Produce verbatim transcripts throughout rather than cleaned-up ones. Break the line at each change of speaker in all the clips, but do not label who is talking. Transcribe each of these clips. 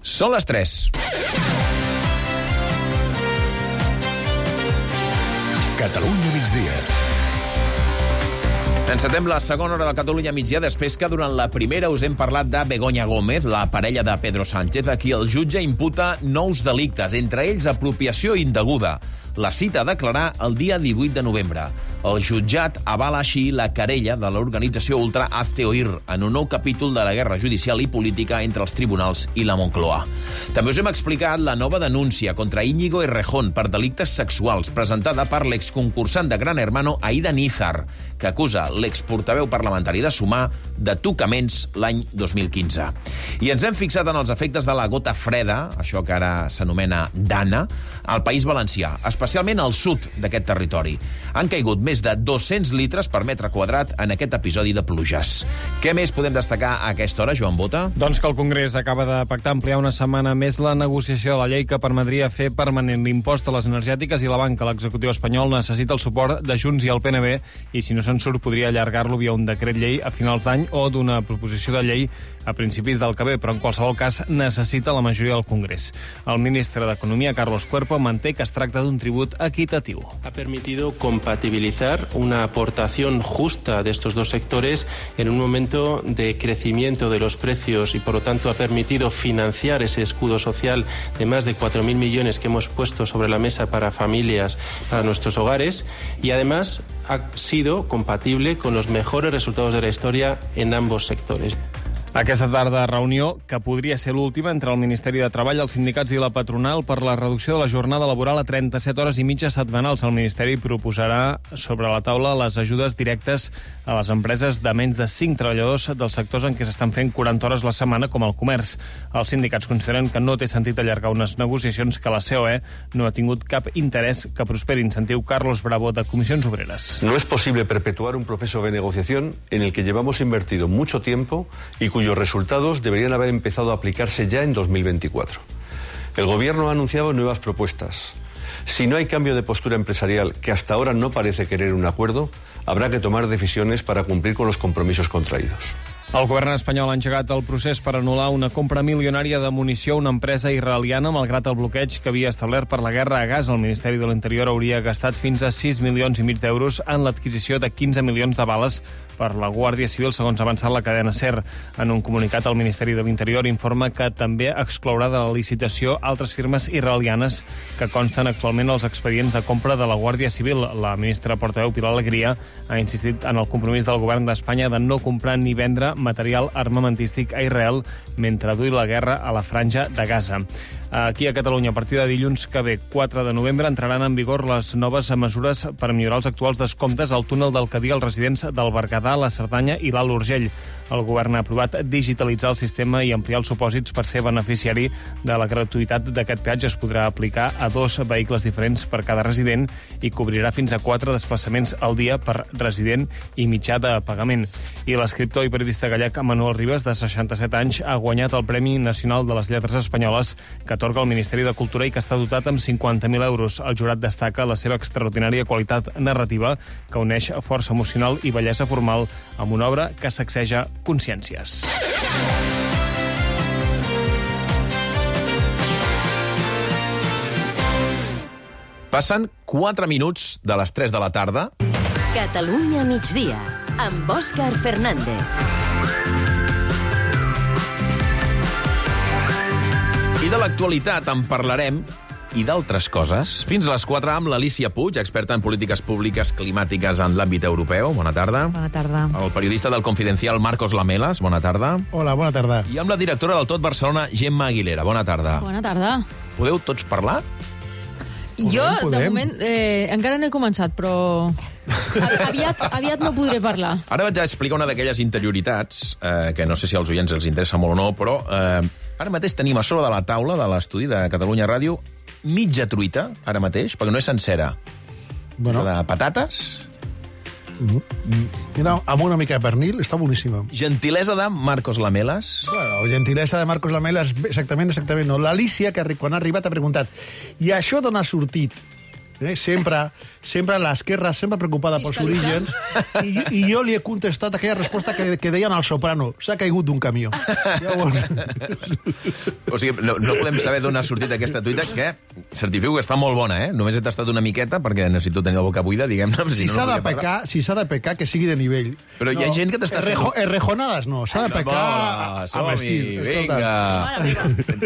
Són les tres.
Catalunya migdia.
Encetem la segona hora de Catalunya migdia després que durant la primera us hem parlat de Begoña Gómez, la parella de Pedro Sánchez, a qui el jutge imputa nous delictes, entre ells apropiació indeguda. La cita a declarar el dia divuit de novembre. El jutjat avala així la querella de l'organització ultra Hazte Oír en un nou capítol de la guerra judicial i política entre els tribunals i la Moncloa. També us hem explicat la nova denúncia contra Íñigo Errejón per delictes sexuals presentada per l'exconcursant de Gran Hermano Aida Nízar, que acusa l'exportaveu parlamentari de Sumar de tocaments l'any dos mil quinze. I ens hem fixat en els efectes de la gota freda, això que ara s'anomena Dana, al País Valencià, especialment al sud d'aquest territori. Han caigut més de dos-cents litres per metre quadrat en aquest episodi de pluges. Què més podem destacar a aquesta hora, Joan Bota?
Doncs que el Congrés acaba de pactar ampliar una setmana més la negociació de la llei que permetria fer permanent l'impost a les energètiques i la banca. L'executiu espanyol necessita el suport de Junts i el P N B i, si no se'n surt, podria allargar-lo via un decret llei a finals d'any o d'una proposició de llei a principis del que ve, però en qualsevol cas necessita la majoria del Congrés. El ministre d'Economia, Carlos Cuerpo, manté que es tracta d'un tribut equitatiu.
Ha permitido compatibilizar una aportación justa de estos dos sectores en un momento de crecimiento de los precios y, por lo tanto, ha permitido financiar ese escudo social de más de cuatro mil millones que hemos puesto sobre la mesa para familias, para nuestros hogares, y además ha sido compatible con los mejores resultados de la historia en ambos sectores.
Aquesta tarda, reunió que podria ser l'última entre el Ministeri de Treball, els sindicats i la patronal per la reducció de la jornada laboral a trenta-set hores i mitja setmanals. El Ministeri proposarà sobre la taula les ajudes directes a les empreses de menys de cinc treballadors dels sectors en què s'estan fent quaranta hores la setmana, com el comerç. Els sindicats consideren que no té sentit allargar unes negociacions que la C O E no ha tingut cap interès que prosperin. Sentiu Carlos Bravo, de Comissions Obreres.
No es posible perpetuar un proceso de negociación en el que llevamos invertido mucho tiempo y cuyos resultados deberían haber empezado a aplicarse ya en dos mil veinticuatro. El Gobierno ha anunciado nuevas propuestas. Si no hay cambio de postura empresarial, que hasta ahora no parece querer un acuerdo, habrá que tomar decisiones para cumplir con los compromisos contraídos.
El govern espanyol ha engegat el procés per anul·lar una compra milionària de munició a una empresa israeliana, malgrat el bloqueig que havia establert per la guerra a Gaza. El Ministeri de l'Interior hauria gastat fins a sis milions i mig d'euros en l'adquisició de quinze milions de bales per la Guàrdia Civil, segons ha avançat la cadena SER. En un comunicat, el Ministeri de l'Interior informa que també exclourà de la licitació altres firmes israelianes que consten actualment als expedients de compra de la Guàrdia Civil. La ministra portaveu Pilar Alegria ha insistit en el compromís del govern d'Espanya de no comprar ni vendre material armamentístic a Israel mentre duri la guerra a la franja de Gaza. Aquí a Catalunya, a partir de dilluns que ve, quatre de novembre, entraran en vigor les noves mesures per millorar els actuals descomptes al túnel del Cadí als residents del Berguedà, la Cerdanya i l'Alt Urgell. El govern ha aprovat digitalitzar el sistema i ampliar els supòsits per ser beneficiari de la gratuïtat d'aquest peatge. Es podrà aplicar a dos vehicles diferents per cada resident i cobrirà fins a quatre desplaçaments al dia per resident i mitjà de pagament. I l'escriptor i periodista gallec Manuel Ribas, de seixanta-set anys, ha guanyat el Premi Nacional de les Lletres Espanyoles que atorga el Ministeri de Cultura i que està dotat amb cinquanta mil euros. El jurat destaca la seva extraordinària qualitat narrativa que uneix força emocional i bellesa formal amb una obra que sacseja consciències.
Passen quatre minuts de les tres de la tarda.
Catalunya migdia, amb Òscar Fernández.
I de l'actualitat en parlarem, i d'altres coses, fins a les quatre amb l'Alícia Puig, experta en polítiques públiques climàtiques en l'àmbit europeu. Bona tarda.
Bona tarda.
El periodista del Confidencial, Marcos Lamelas. Bona tarda.
Hola, bona tarda.
I amb la directora del Tot Barcelona, Gemma Aguilera. Bona tarda.
Bona tarda.
Podeu tots parlar?
Podem, jo,
podem.
de moment, eh, encara no he començat, però aviat, aviat no podré parlar.
Ara vaig a explicar una d'aquelles interioritats, eh, que no sé si als oients els interessa molt o no, però eh, ara mateix tenim a sobre de la taula de l'estudi de Catalunya Ràdio mitja truita, ara mateix, perquè no és sencera.
Bueno.
De patates.
Mira, amb una mica de pernil, està boníssima.
Gentilesa de Marcos Lamelas.
Bueno, gentilesa de Marcos Lamelas, exactament, exactament no. L'Alícia, que quan ha arribat, ha preguntat, i això d'on ha sortit? Eh? Sempre, sempre l'esquerra, sempre preocupada pels orígens, i, i jo li he contestat aquella resposta que, que deien al Soprano, s'ha caigut d'un camió. Llavors...
O sigui, no, no podem saber d'on ha sortit aquesta tuita, que certifico que està molt bona, eh? Només he tastat una miqueta, perquè necessito tenir la boca buida, diguem-ne.
Si
no
s'ha
no
de pecar, si s'ha de pecar, que sigui de nivell.
Però hi ha gent que t'està
Errejo,
fent...
Errejonades no, s'ha de pecar
Hola,
amb estil.
vinga.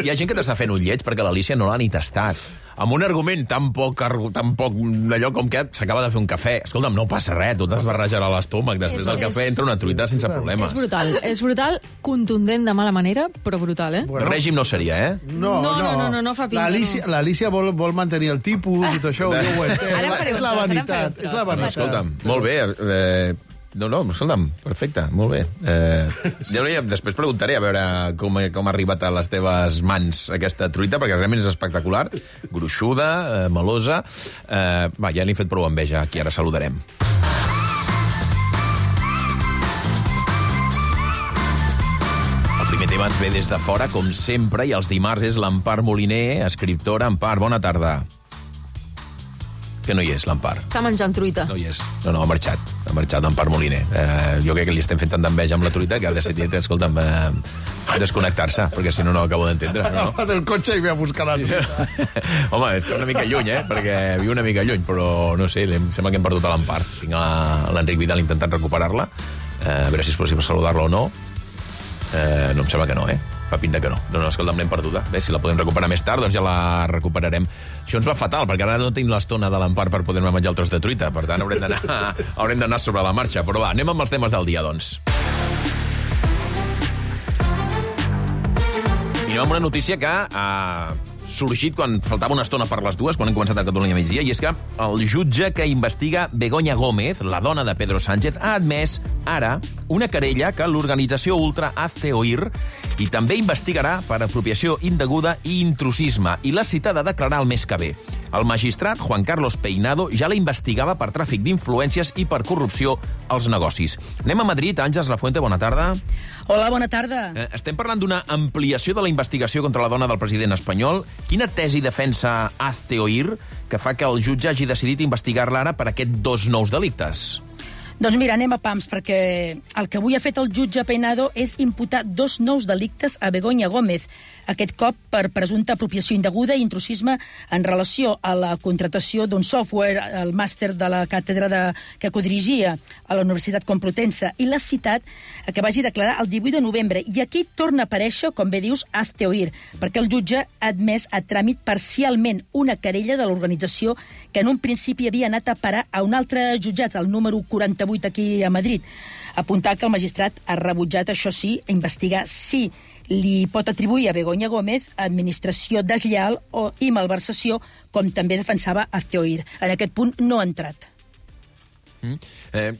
Hi ha gent que t'està fent un lleig perquè l'Alícia no l'ha ni tastat. Amb un argument tan poc, tan poc d'allò com que s'acaba de fer un cafè. Escolta'm, no passa res, tu t'has barrejar a l'estómac. Després
És-
del cafè
és-
entra una truita sense problemes.
És brutal, és brutal, contundent de mala manera, però brutal, eh?
El règim no seria, eh?
No,
No, no, no, no, no fa pinta,
L'Alícia
no.
l'Alícia vol, vol mantenir el tipus i tot això, jo ho entenc.
Ara faré
És
un
la
tros, ara
vanitat,
faré un tros.
és la
No,
vanitat.
escolta'm, molt bé. Eh, no, no, escolta'm, perfecte, molt bé. Eh, ja, ja, després preguntaré a veure com, com ha arribat a les teves mans aquesta truita, perquè realment és espectacular, gruixuda, eh, melosa. Eh, va, ja n'he fet prou enveja, aquí ara saludarem. El primer tema ens ve des de fora, com sempre, i els dimarts és l'Empar Moliner, escriptora. Empar, bona tarda. Que no hi és, l'Empar.
Està menjant truita.
No hi és. No, no, ha marxat. Ha marxat l'Empar Moliner. Eh, jo crec que li estem fent tant d'enveja amb la truita que ha decidit, escolta'm, eh, desconnectar-se, perquè si no, no ho acabo d'entendre.
Ha
No?
agafat el cotxe i ve a buscar la truita.
Home, és que una mica lluny, eh? Perquè viu una mica lluny, però no sé, em sembla que hem perdut a l'Empar. Tinc a l'Enric Vidal intentant recuperar-la, eh, a veure si és possible saludar-la o no. Eh, no em sembla que no, eh? Fa pinta que no. No, no, escolta'm, l'hem perduda. Bé, si la podem recuperar més tard, doncs ja la recuperarem. Això ens va fatal, perquè ara no tinc l'estona de l'Empar per poder-me menjar el tros de truita. Per tant, haurem d'anar haurem d'anar sobre la marxa. Però va, anem amb els temes del dia, doncs. I anem amb una notícia que ha sorgit quan faltava una estona per les dues, quan hem començat a Catalunya migdia, i és que el jutge que investiga Begoña Gómez, la dona de Pedro Sánchez, ha admès ara una querella que l'organització ultra Hazte Oír i també investigarà per apropiació indeguda i intrusisme, i l'ha citada a declarar el mes que ve. El magistrat Juan Carlos Peinado ja la investigava per tràfic d'influències i per corrupció als negocis. Anem a Madrid. Àngels Lafuente, bona tarda.
Hola, bona tarda.
Eh, estem parlant d'una ampliació de la investigació contra la dona del president espanyol. Quina tesi defensa Hazte Oír que fa que el jutge hagi decidit investigar-la ara per aquests dos nous delictes?
Doncs mira, anem a pams, perquè el que avui ha fet el jutge Peinado és imputar dos nous delictes a Begoña Gómez, aquest cop per presumpta apropiació indeguda i intrusisme en relació a la contractació d'un software, el màster de la càtedra de, que codirigia a la Universitat Complutense, i l'ha citat que vagi declarar el divuit de novembre. I aquí torna a aparèixer, com bé dius, Hazte Oír, perquè el jutge ha admès a tràmit parcialment una querella de l'organització que en un principi havia anat a parar a un altre jutjat, el número quaranta-vuit aquí a Madrid. Apuntar que el magistrat ha rebutjat, això sí, investigar si li pot atribuir a Begoña Gómez administració deslleal o i malversació, com també defensava Hazte Oír. En aquest punt no ha entrat.
Mm. Eh,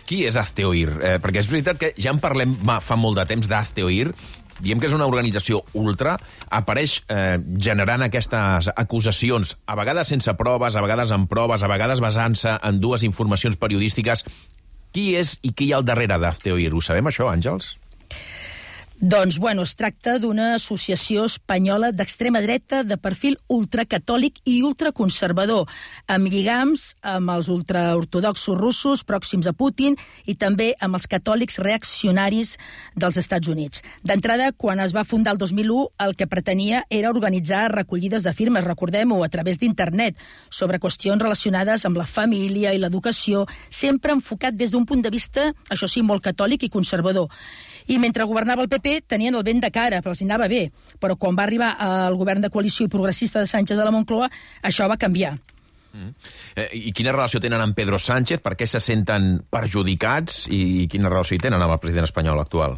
qui és Hazte Oír? Eh, perquè és veritat que ja en parlem ma, fa molt de temps d'Hazte Oír. Diem que és una organització ultra, apareix eh, generant aquestes acusacions, a vegades sense proves, a vegades amb proves, a vegades basant-se en dues informacions periodístiques. Qui és i qui hi ha al darrere d'Hazte Oír? Ho sabem, això, Àngels?
Doncs, bueno, es tracta d'una associació espanyola d'extrema dreta de perfil ultracatòlic i ultraconservador, amb lligams amb els ultraortodoxos russos pròxims a Putin i també amb els catòlics reaccionaris dels Estats Units. D'entrada, quan es va fundar el dos mil u, el que pretenia era organitzar recollides de firmes, recordem-ho, a través d'internet, sobre qüestions relacionades amb la família i l'educació, sempre enfocat des d'un punt de vista, això sí, molt catòlic i conservador. I mentre governava el P P tenien el vent de cara, però els anava bé. Però quan va arribar al govern de coalició i progressista de Sánchez de la Moncloa, això va canviar.
Mm. Eh, I quina relació tenen amb Pedro Sánchez? Per què se senten perjudicats? I quina relació hi tenen amb el president espanyol actual?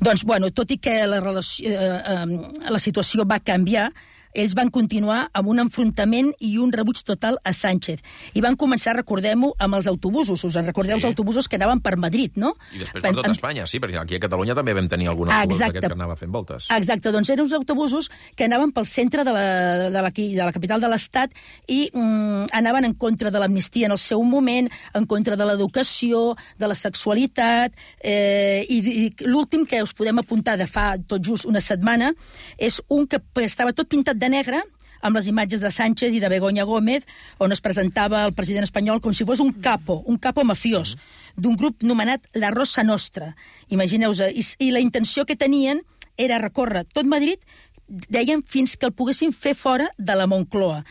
Doncs, bueno, tot i que la, relació, eh, eh, la situació va canviar, ells van continuar amb un enfrontament i un rebuig total a Sánchez. I van començar, recordem-ho, amb els autobusos. Us en recordeu, sí. Els autobusos que anaven per Madrid, no?
I després per tot amb... Espanya, sí, perquè aquí a Catalunya també vam tenir algun autobús d'aquest que anava fent voltes.
Exacte, doncs eren uns autobusos que anaven pel centre de la, de la, de la capital de l'Estat i mm, anaven en contra de l'amnistia en el seu moment, en contra de l'educació, de la sexualitat, eh, i, i l'últim que us podem apuntar de fa tot just una setmana és un que estava tot pintat de negre, amb les imatges de Sánchez i de Begoña Gómez, on es presentava el president espanyol com si fos un capo, un capo mafiós, d'un grup nomenat la Rosa Nostra. Imagineu-vos, i, i la intenció que tenien era recórrer tot Madrid, deien, fins que el poguessin fer fora de la Moncloa.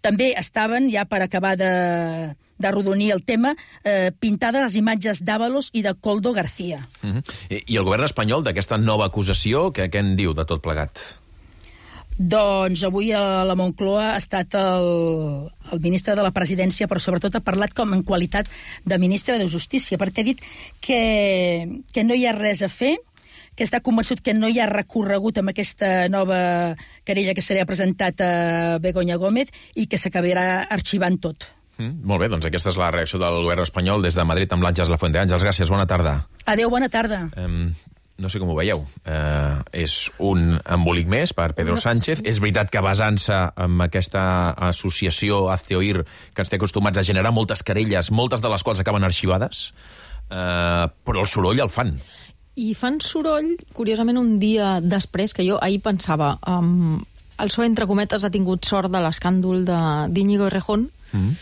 També estaven, ja per acabar de, de rodonir el tema, eh, pintades les imatges d'Ábalos i de Koldo García.
Uh-huh. I, I el govern espanyol d'aquesta nova acusació, què, què en diu de tot plegat?
Doncs avui a la Moncloa ha estat el, el ministre de la Presidència, però sobretot ha parlat com en qualitat de ministre de Justícia, perquè ha dit que, que no hi ha res a fer, que està convençut que no hi ha recorregut amb aquesta nova querella que se li ha presentat a Begoña Gómez i que s'acabarà arxivant tot.
Mm, molt bé, doncs aquesta és la reacció del govern espanyol des de Madrid amb l'Àngels Lafuente. Àngels, gràcies, bona tarda.
Adéu, bona tarda.
Um, no sé com ho veieu. Uh, és un embolic més per Pedro Sánchez. És veritat que basant-se en aquesta associació Hazte Oír, que ens té acostumats a generar moltes querelles, moltes de les quals acaben arxivades, uh, però el soroll el fan.
I fan soroll, curiosament, un dia després, que jo ahir pensava, um, el P S O E, entre cometes, ha tingut sort de l'escàndol d'Íñigo Errejón, mm.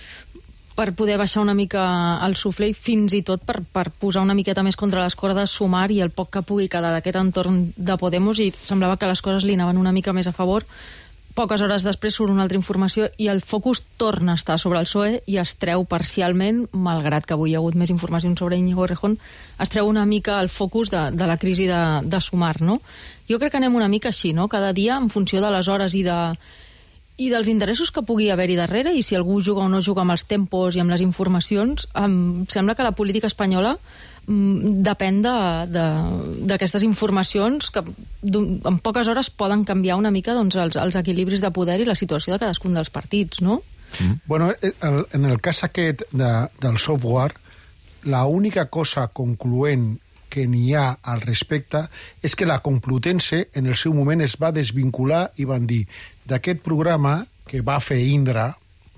per poder baixar una mica el suflé i fins i tot per, per posar una miqueta més contra les cordes Sumar i el poc que pugui quedar d'aquest entorn de Podemos, i semblava que les coses li anaven una mica més a favor. Poques hores després surt una altra informació i el focus torna a estar sobre el P S O E i es treu parcialment, malgrat que avui hi ha hagut més informacions sobre Íñigo Errejón, es treu una mica el focus de, de la crisi de, de Sumar, no? Jo crec que anem una mica així, no? Cada dia, en funció de les hores i de i dels interessos que pugui haver-hi darrere, i si algú juga o no juga amb els tempos i amb les informacions, em sembla que la política espanyola mm, depèn d'aquestes informacions que en poques hores poden canviar una mica doncs, els, els equilibris de poder i la situació de cadascun dels partits, no?
Mm. Bueno, el, en el cas aquest de, del software, la única cosa concloent que n'hi ha al respecte és que la Complutense en el seu moment es va desvincular i van dir d'aquest programa que va fer Indra,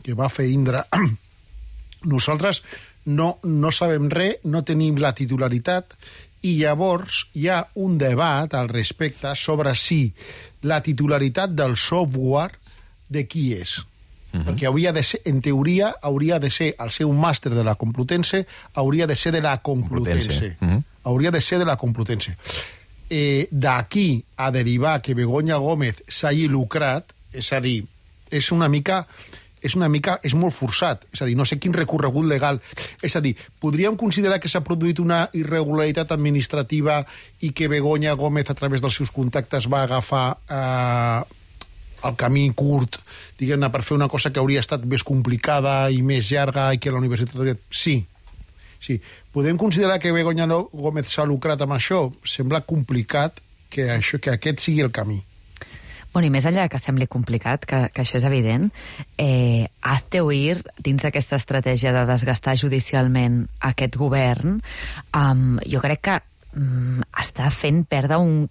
que va fer Indra, nosaltres no, no sabem res, no tenim la titularitat, i llavors hi ha un debat al respecte sobre si la titularitat del software de qui és. Uh-huh. Perquè hauria de ser, en teoria, hauria de ser, al ser un màster de la Complutense, hauria de ser de la Complutense. Complutense. Uh-huh. Hauria de ser de la Complutense. Eh, D'aquí a derivar que Begoña Gómez s'hagi lucrat, és a dir, és una mica... és una mica, és molt forçat, és a dir, no sé quin recorregut legal, és a dir, podríem considerar que s'ha produït una irregularitat administrativa i que Begoña Gómez, a través dels seus contactes, va agafar eh, el camí curt, diguem-ne, per fer una cosa que hauria estat més complicada i més llarga i que la universitat hauria... Sí, sí. Podem considerar que Begoña Gómez s'ha lucrat amb això? Sembla complicat que, això, que aquest sigui el camí.
Bueno, i més enllà que sembli complicat, que, que això és evident, eh, Hazte Oír, dins d'aquesta estratègia de desgastar judicialment aquest govern, um, jo crec que um, està fent perdre un...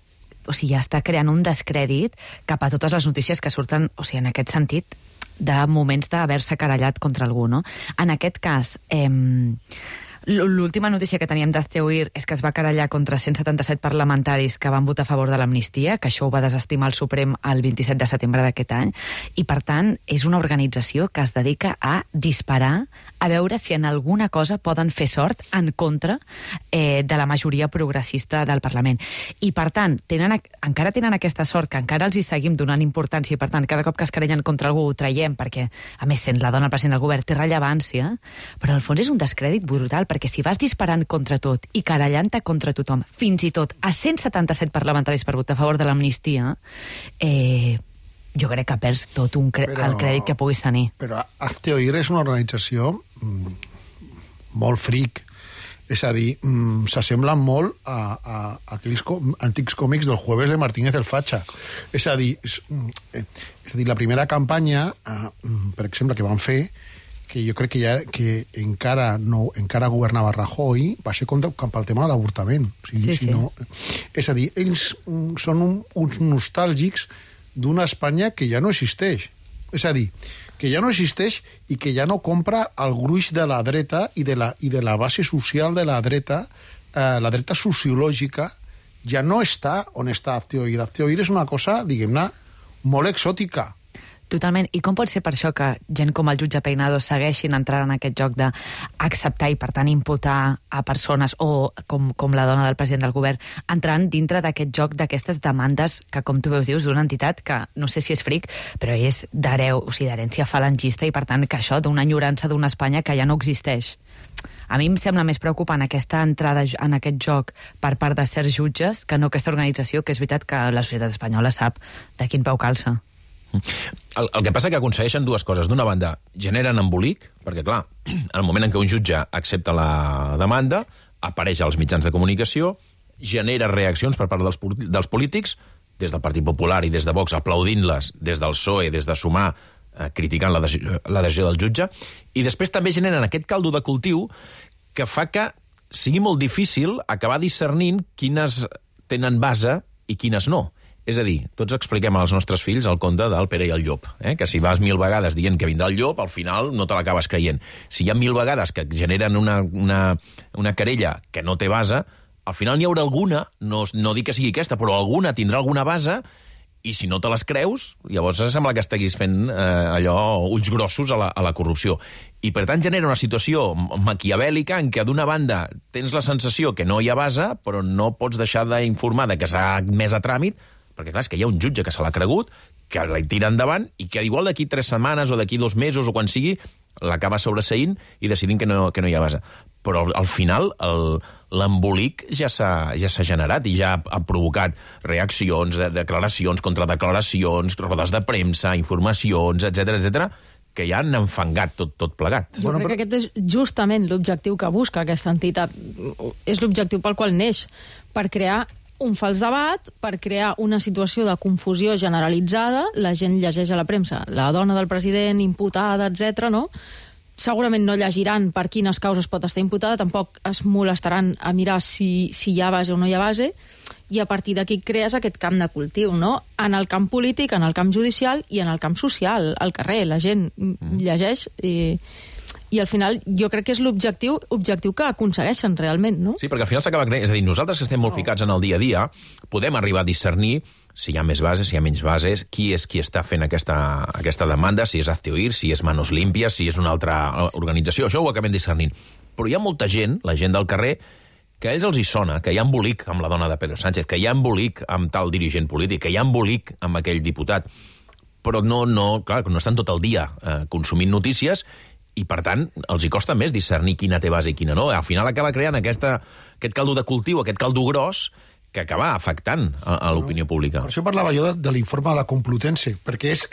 O sigui, ja està creant un descrèdit cap a totes les notícies que surten, o sigui, en aquest sentit, de moments d'haver-se querellat contra algú, no? En aquest cas... Eh, l'última notícia que teníem d'Hazte Oír és que es va querellar contra cent setanta-set parlamentaris que van votar a favor de l'amnistia, que això ho va desestimar el Suprem el vint-i-set de setembre d'aquest any, i per tant és una organització que es dedica a disparar, a veure si en alguna cosa poden fer sort en contra eh, de la majoria progressista del Parlament. I per tant, tenen, encara tenen aquesta sort que encara els hi seguim donant importància, i per tant, cada cop que es querellen contra algú ho traiem, perquè, a més, sent la dona president del govern té rellevància, però al fons és un descrèdit brutal, perquè si vas disparant contra tot i querellant-te contra tothom, fins i tot a cent setanta-set parlamentaris per votar a favor de l'amnistia, eh, jo crec que perds tot un cre però, el crèdit que puguis tenir.
Però Hazte Oír és una organització mm, molt fric. És a dir, mm, s'assemblen molt a, a, a aquells com, antics còmics del Jueves de Martínez el Facha. És a dir, és, eh, és a dir, la primera campanya, eh, per exemple, que van fer, que jo crec que ja que encara no encara governava Rajoy, va ser contra, cap al tema de l'avortament. O sigui,
sí,
si
sí.
no, és a dir, ells són un, uns nostàlgics d'una Espanya que ja no existeix. És a dir, que ja no existeix i que ja no compra el gruix de la dreta i de la, i de la base social de la dreta, eh, la dreta sociològica, ja no està on està Hazte Oír. Hazte Oír és una cosa, diguem-ne, molt exòtica.
Totalment. I com pot ser per això que gent com el jutge Peinado segueixin entrant en aquest joc d'acceptar i, per tant, imputar a persones o, com, com la dona del president del govern, entrant dintre d'aquest joc d'aquestes demandes que, com tu veus, dius, d'una entitat que, no sé si és fric, però és d'hereu, o sigui, d'herència falangista i, per tant, que això d'una enyorança d'una Espanya que ja no existeix. A mi em sembla més preocupant aquesta entrada en aquest joc per part de certs jutges que no aquesta organització, que és veritat que la societat espanyola sap de quin peu calça.
El, el que passa que aconsegueixen dues coses. D'una banda, generen embolic, perquè, clar, en el moment en què un jutge accepta la demanda, apareix als mitjans de comunicació, genera reaccions per part dels, dels polítics, des del Partit Popular i des de Vox, aplaudint-les, des del P S O E, des de Sumar, eh, criticant la decisió, la decisió del jutge, i després també generen aquest caldo de cultiu que fa que sigui molt difícil acabar discernint quines tenen base i quines no. És a dir, tots expliquem als nostres fills el conte del Pere i el Llop, eh? que si vas mil vegades dient que vindrà el llop, al final no te l'acabes creient. Si hi ha mil vegades que generen una, una, una querella que no té base, al final n'hi haurà alguna, no, no dic que sigui aquesta, però alguna tindrà alguna base, i si no te les creus, llavors sembla que estiguis fent eh, allò ulls grossos a la, a la corrupció. I per tant genera una situació maquiavèlica en què d'una banda tens la sensació que no hi ha base, però no pots deixar d'informar de que s'ha admès a tràmit, perquè clar, és que hi ha un jutge que se l'ha cregut, que la tira endavant i que igual d'aquí tres setmanes o d'aquí dos mesos o quan sigui l'acaba sobreseint i decidint que no, que no hi ha base. Però al final l'embolic ja s'ha ja s'ha generat i ja ha provocat reaccions, declaracions, contradeclaracions, rodes de premsa, informacions, etcètera, etcètera, que ja han enfangat tot, tot plegat.
Jo crec que aquest és justament l'objectiu que busca aquesta entitat. És l'objectiu pel qual neix, per crear un fals debat, per crear una situació de confusió generalitzada. La gent llegeix a la premsa la dona del president imputada, etcètera, no? Segurament no llegiran per quines causes pot estar imputada, tampoc es molestaran a mirar si, si hi ha base o no hi ha base, i a partir d'aquí crees aquest camp de cultiu, no? En el camp polític, en el camp judicial i en el camp social, al carrer. La gent llegeix i... I al final jo crec que és l'objectiu objectiu que aconsegueixen realment, no?
Sí, perquè al final s'acaba creient... És a dir, nosaltres que estem molt ficats en el dia a dia podem arribar a discernir si hi ha més bases, si hi ha menys bases, qui és qui està fent aquesta, aquesta demanda, si és Hazte Oír, si és Manos Limpias, si és una altra organització. Això ho acabem discernint. Però hi ha molta gent, la gent del carrer, que a ells els hi sona, que hi ha embolic amb la dona de Pedro Sánchez, que hi ha embolic amb tal dirigent polític, que hi ha embolic amb aquell diputat. Però no, no, clar, no estan tot el dia eh, consumint notícies i, per tant, els hi costa més discernir quina té base i quina no. Al final acaba creant aquesta, aquest caldo de cultiu, aquest caldo gros, que acaba afectant a, a l'opinió pública.
Per això parlava jo de, de l'informe de la Complutense, perquè és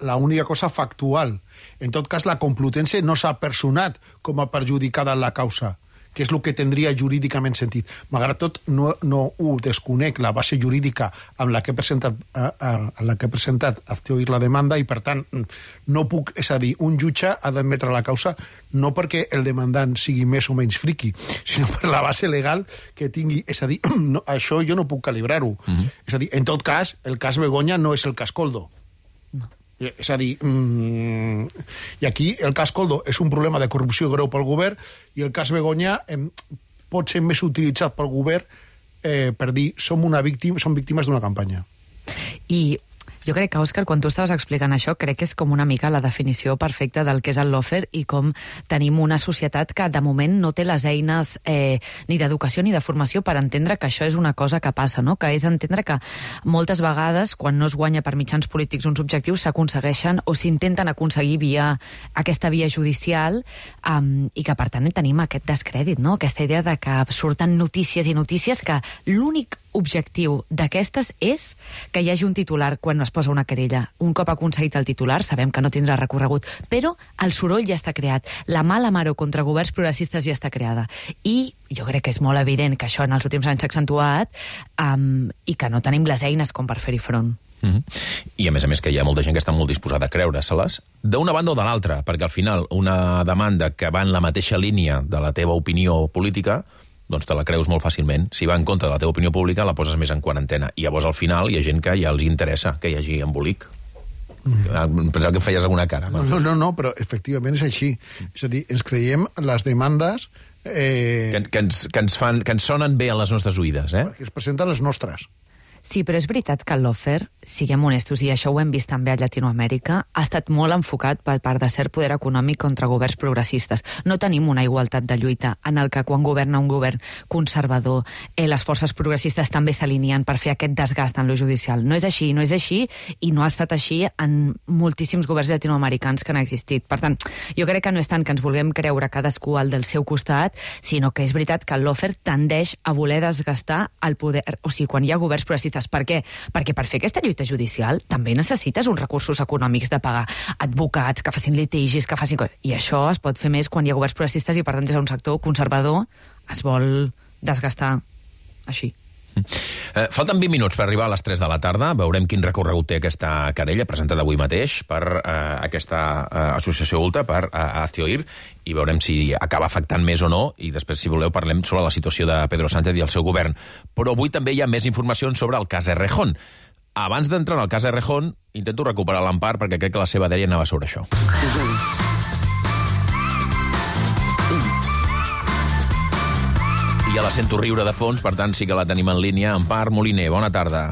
l'única cosa factual. En tot cas, la Complutense no s'ha personat com a perjudicada en la causa, que és el que tindria jurídicament sentit. Malgrat tot, no, no ho desconec, la base jurídica amb la que he presentat, a, a, a la que he presentat Hazte Oír la demanda, i per tant no puc, és a dir, un jutge ha d'admetre la causa no perquè el demandant sigui més o menys friqui, sinó per la base legal que tingui. És a dir, no, això jo no puc calibrar-ho. Mm-hmm. És a dir, en tot cas, el cas Begoña no és el cas Koldo. No. És a dir, mmm, i aquí el cas Koldo és un problema de corrupció greu pel govern i el cas Begoña eh, pot ser més utilitzat pel govern eh, per dir som, una víctima, som víctimes d'una campanya.
I jo crec que, Òscar, quan tu estaves explicant això, crec que és com una mica la definició perfecta del que és el lawfare i com tenim una societat que, de moment, no té les eines eh, ni d'educació ni de formació per entendre que això és una cosa que passa, no? Que és entendre que moltes vegades, quan no es guanya per mitjans polítics uns objectius, s'aconsegueixen o s'intenten aconseguir via aquesta via judicial um, i que, per tant, tenim aquest descrèdit, no? Aquesta idea de que surten notícies i notícies que l'únic objectiu d'aquestes és que hi hagi un titular quan es posa una querella. Un cop aconseguit el titular, sabem que no tindrà recorregut, però el soroll ja està creat. La mala mare contra governs progressistes ja està creada. I jo crec que és molt evident que això en els últims anys s'ha accentuat um, i que no tenim les eines com per fer-hi front.
Mm-hmm. I a més a més que hi ha molta gent que està molt disposada a creure-se-les d'una banda o de l'altra, perquè al final una demanda que va en la mateixa línia de la teva opinió política doncs te la creus molt fàcilment. Si va en contra de la teva opinió pública, la poses més en quarantena. I llavors, al final, hi ha gent que ja els interessa que hi hagi embolic. Mm. Pensava que em feies alguna cara.
No, no, no, no, però efectivament és així. És a dir, ens creiem les demandes... Eh...
Que, que, ens, que, ens fan, que ens sonen bé a les nostres oïdes, eh?
Perquè es presenten les nostres.
Sí, però és veritat que el lawfare, siguem honestos, i això ho hem vist també a Llatinoamèrica, ha estat molt enfocat per part de cert poder econòmic contra governs progressistes. No tenim una igualtat de lluita en el que quan governa un govern conservador eh, les forces progressistes també s'alineen per fer aquest desgast en lo judicial. No és així, no és així, i no ha estat així en moltíssims governs llatinoamericans que han existit. Per tant, jo crec que no és tant que ens vulguem creure cadascú al del seu costat, sinó que és veritat que el lawfare tendeix a voler desgastar el poder, o sigui, quan hi ha governs progressistes. Per què? Perquè per fer aquesta lluita judicial també necessites uns recursos econòmics de pagar advocats que facin litigis, que facin coses. I això es pot fer més quan hi ha governs progressistes i, per tant, des d'un sector conservador es vol desgastar així.
Eh, falten vint minuts per arribar a les tres de la tarda. Veurem quin recorregut té aquesta querella presentada avui mateix per eh, aquesta eh, associació Ultra, per eh, Aztioir, i veurem si acaba afectant més o no, i després, si voleu, parlem sobre la situació de Pedro Sánchez i el seu govern. Però avui també hi ha més informacions sobre el cas Errejón. Abans d'entrar en el cas Errejón, intento recuperar l'Empar, perquè crec que la seva dèria anava sobre això. I ja la sento riure de fons, per tant sí que la tenim en línia. Empar Moliner, bona tarda.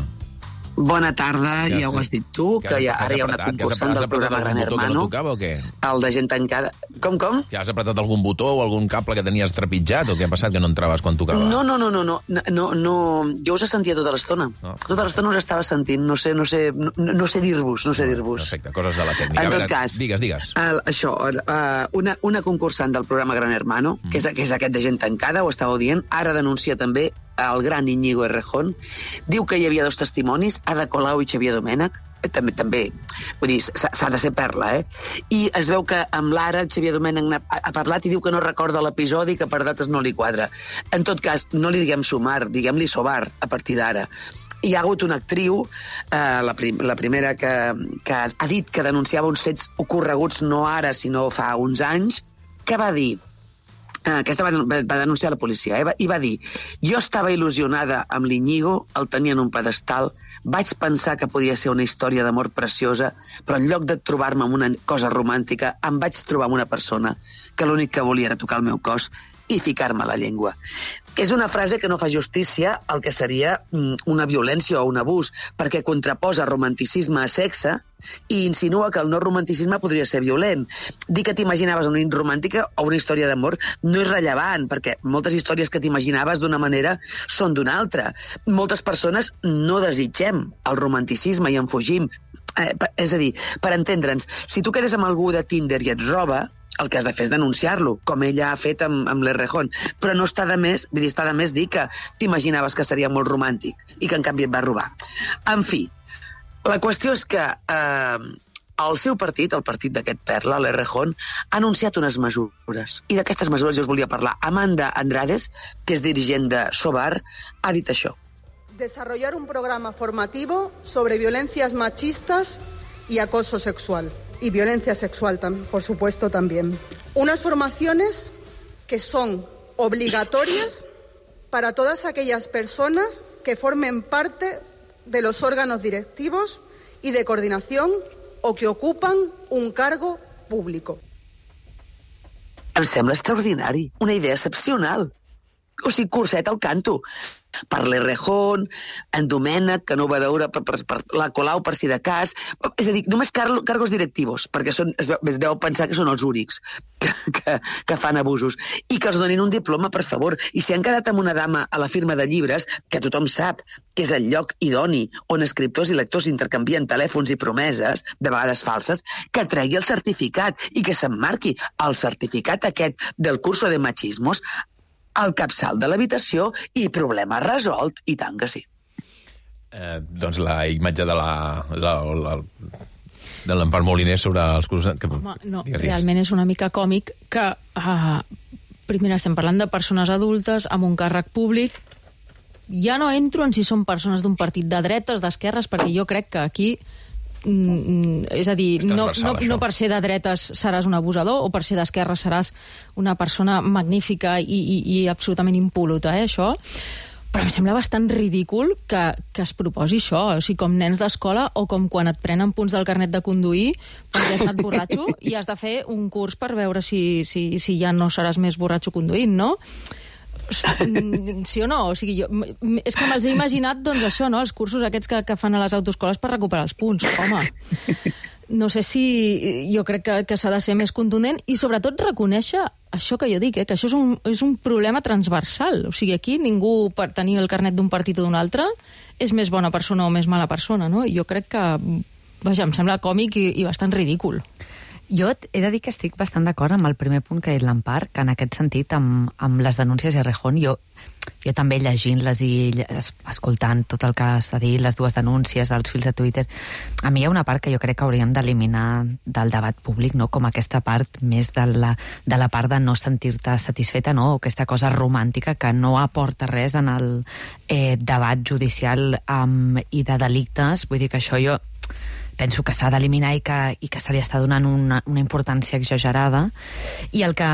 Bona tarda, ja, ja ho has dit tu, que, que ja, ara hi ha una concursant del programa Gran Hermano.
No tocava, o què?
El de gent tancada. Com, com?
Ja has apretat algun botó o algun cable que tenies trepitjat, o què ha passat que no entraves quan tocava?
No, no, no, no, no, no, no. Jo us sentia tota l'estona. No. Tota l'estona us estava sentint, no sé, no sé, no, no sé dir-vos, no sé dir-vos.
Perfecte, coses de la tècnica.
En tot
veure,
cas,
digues, digues.
El, això, uh, una, una concursant del programa Gran Hermano, mm. que, és, que és aquest de gent tancada, ho estàveu dient, ara denuncia també el gran Íñigo Errejón, diu que hi havia dos testimonis, Ada Colau i Xavier Domènech, també, també vull dir, s'ha de ser perla, eh? I es veu que amb l'Ara, el Xavier Domènech ha, ha parlat i diu que no recorda l'episodi, que per dates no li quadra. En tot cas, no li diguem sumar, diguem-li sobar a partir d'ara. Hi ha hagut una actriu, eh, la, prim, la primera que, que ha dit que denunciava uns fets ocorreguts no ara, sinó fa uns anys, que va dir, aquesta va, va denunciar la policia, eh? I va dir: jo estava il·lusionada amb l'Iñigo, el tenia en un pedestal, vaig pensar que podia ser una història d'amor preciosa, però en lloc de trobar-me amb una cosa romàntica, em vaig trobar amb una persona que l'únic que volia era tocar el meu cos i ficar-me la llengua. És una frase que no fa justícia al que seria una violència o un abús, perquè contraposa romanticisme a sexe i insinua que el no romanticisme podria ser violent. Dir que t'imaginaves una nit romàntica o una història d'amor no és rellevant, perquè moltes històries que t'imaginaves d'una manera són d'una altra. Moltes persones no desitgem el romanticisme i en fugim. Eh, és a dir, per entendre'ns, si tu quedes amb algú de Tinder i et roba, el que has de fer és denunciar-lo, com ella ha fet amb, amb l'Errejón. Però no està de més, vull dir, està de més dir que t'imaginaves que seria molt romàntic i que en canvi et va robar. En fi, la qüestió és que eh, el seu partit, el partit d'aquest perla, l'Errejón, ha anunciat unes mesures. I d'aquestes mesures jo us volia parlar. Amanda Andrades, que és dirigent de Sobar, ha dit això.
Desarrollar un programa formativo sobre violencias machistas y acoso sexual. Y violencia sexual, por supuesto, también. Unas formaciones que son obligatorias para todas aquellas personas que formen parte de los órganos directivos y de coordinación o que ocupan un cargo público.
Em sembla extraordinari, una idea excepcional. O sigui, curset al canto. Per l'Errejón, en Domènech, que no ho va veure, per, per, per la Colau, per si de cas. És a dir, només car cargos directius, perquè són, es, es deu pensar que són els únics que, que, que fan abusos. I que els donin un diploma, per favor. I si han quedat amb una dama a la firma de llibres, que tothom sap que és el lloc idoni on escriptors i lectors intercanvien telèfons i promeses, de vegades falses, que tregui el certificat i que s'emmarqui el certificat aquest del curso de machismos al capçal de l'habitació i problema resolt, i tant que sí.
Eh, doncs la imatge de la, la, la de l'Empar Moliner sobre els cursos... Que...
Home, no, digues, realment és una mica còmic que uh, primer estem parlant de persones adultes amb un càrrec públic. Ja no entro en si són persones d'un partit de dretes, d'esquerres, perquè jo crec que aquí Mm, és a dir, és no, no, no per ser de dretes seràs un abusador o per ser d'esquerra seràs una persona magnífica i, i, i absolutament impoluta, eh, això. Però em sembla bastant ridícul que, que es proposi això, o sigui, com nens d'escola o com quan et prenen punts del carnet de conduir perquè has estat borratxo i has de fer un curs per veure si, si, si ja no seràs més borratxo conduint, no? Sí o no? O sigui, jo, és que me'ls he imaginat, doncs, això, no? Els cursos aquests que, que fan a les autoescoles per recuperar els punts. Home, no sé si... Jo crec que, que s'ha de ser més contundent i, sobretot, reconèixer això que jo dic, eh? Que això és un, és un problema transversal. O sigui, aquí ningú, per tenir el carnet d'un partit o d'un altre, és més bona persona o més mala persona, no? I jo crec que... Vaja, em sembla còmic i, i bastant ridícul.
Jo he de dir que estic bastant d'acord amb el primer punt que ha dit l'Empar, que en aquest sentit, amb, amb les denúncies de Errejón, jo, jo també llegint-les i escoltant tot el que s'ha dit, les dues denúncies dels fils de Twitter, a mi hi ha una part que jo crec que hauríem d'eliminar del debat públic, no? Com aquesta part més de la, de la part de no sentir-te satisfeta, no? O aquesta cosa romàntica que no aporta res en el eh, debat judicial um, i de delictes. Vull dir que això jo penso que s'ha d'eliminar i, que, i que se li està donant una, una importància exagerada. I, el que,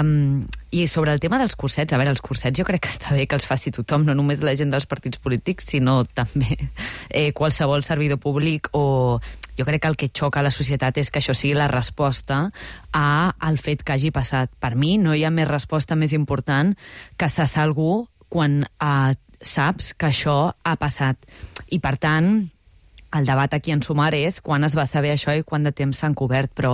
I sobre el tema dels cursets, a veure, els cursets jo crec que està bé que els faci tothom, no només la gent dels partits polítics, sinó també eh, qualsevol servidor públic, o jo crec que el que xoca a la societat és que això sigui la resposta a al fet que hagi passat. Per mi no hi ha més resposta més important que cessar algú quan eh, saps que això ha passat. I per tant, el debat aquí en Sumar és quan es va saber això i quant de temps s'han cobert, però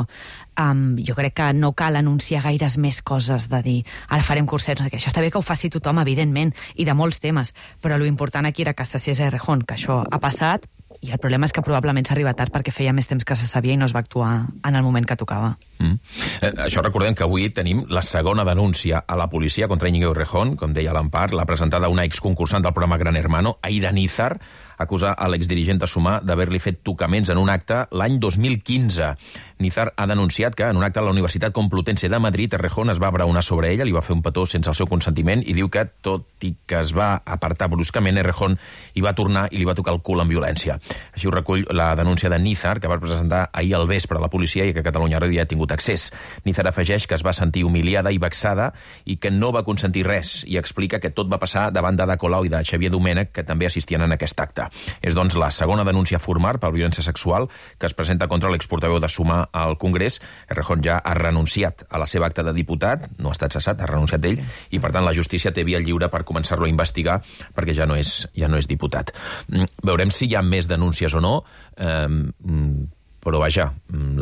um, jo crec que no cal anunciar gaires més coses de dir ara farem cursets, que això està bé que ho faci tothom, evidentment, i de molts temes, però l'important aquí era que cessés Errejón, que això ha passat, i el problema és que probablement s'arriba tard perquè feia més temps que se sabia i no es va actuar en el moment que tocava.
Mm. Eh, això recordem que avui tenim la segona denúncia a la policia contra Íñigo Errejón, com deia l'Empar, l'ha presentada una exconcursant del programa Gran Hermano, Aida Nízar, acusa a l'exdirigent de Sumar d'haver-li fet tocaments en un acte l'any dos mil quinze. Nízar ha denunciat que en un acte a la Universitat Complutense de Madrid Errejón es va abraonar sobre ella, li va fer un petó sense el seu consentiment i diu que, tot i que es va apartar bruscament, Errejón hi va tornar i li va tocar el cul amb violència. Així ho recull la denúncia de Nízar, que va presentar ahir al vespre a la policia i que Catalunya Ràdio ja ha tingut accés. Nízar afegeix que es va sentir humiliada i vexada i que no va consentir res, i explica que tot va passar davant d'Ada Colau i de Xavier Domènech, que també assistien en aquest acte. És, doncs, la segona denúncia formal per violència sexual que es presenta contra l'exportaveu de Sumar al Congrés. Errejón ja ha renunciat a la seva acta de diputat, no ha estat cessat, ha renunciat ell, sí. I per tant la justícia té via lliure per començar-lo a investigar perquè ja no és, ja no és diputat. Veurem si hi ha més denúncies o no, eh, però vaja,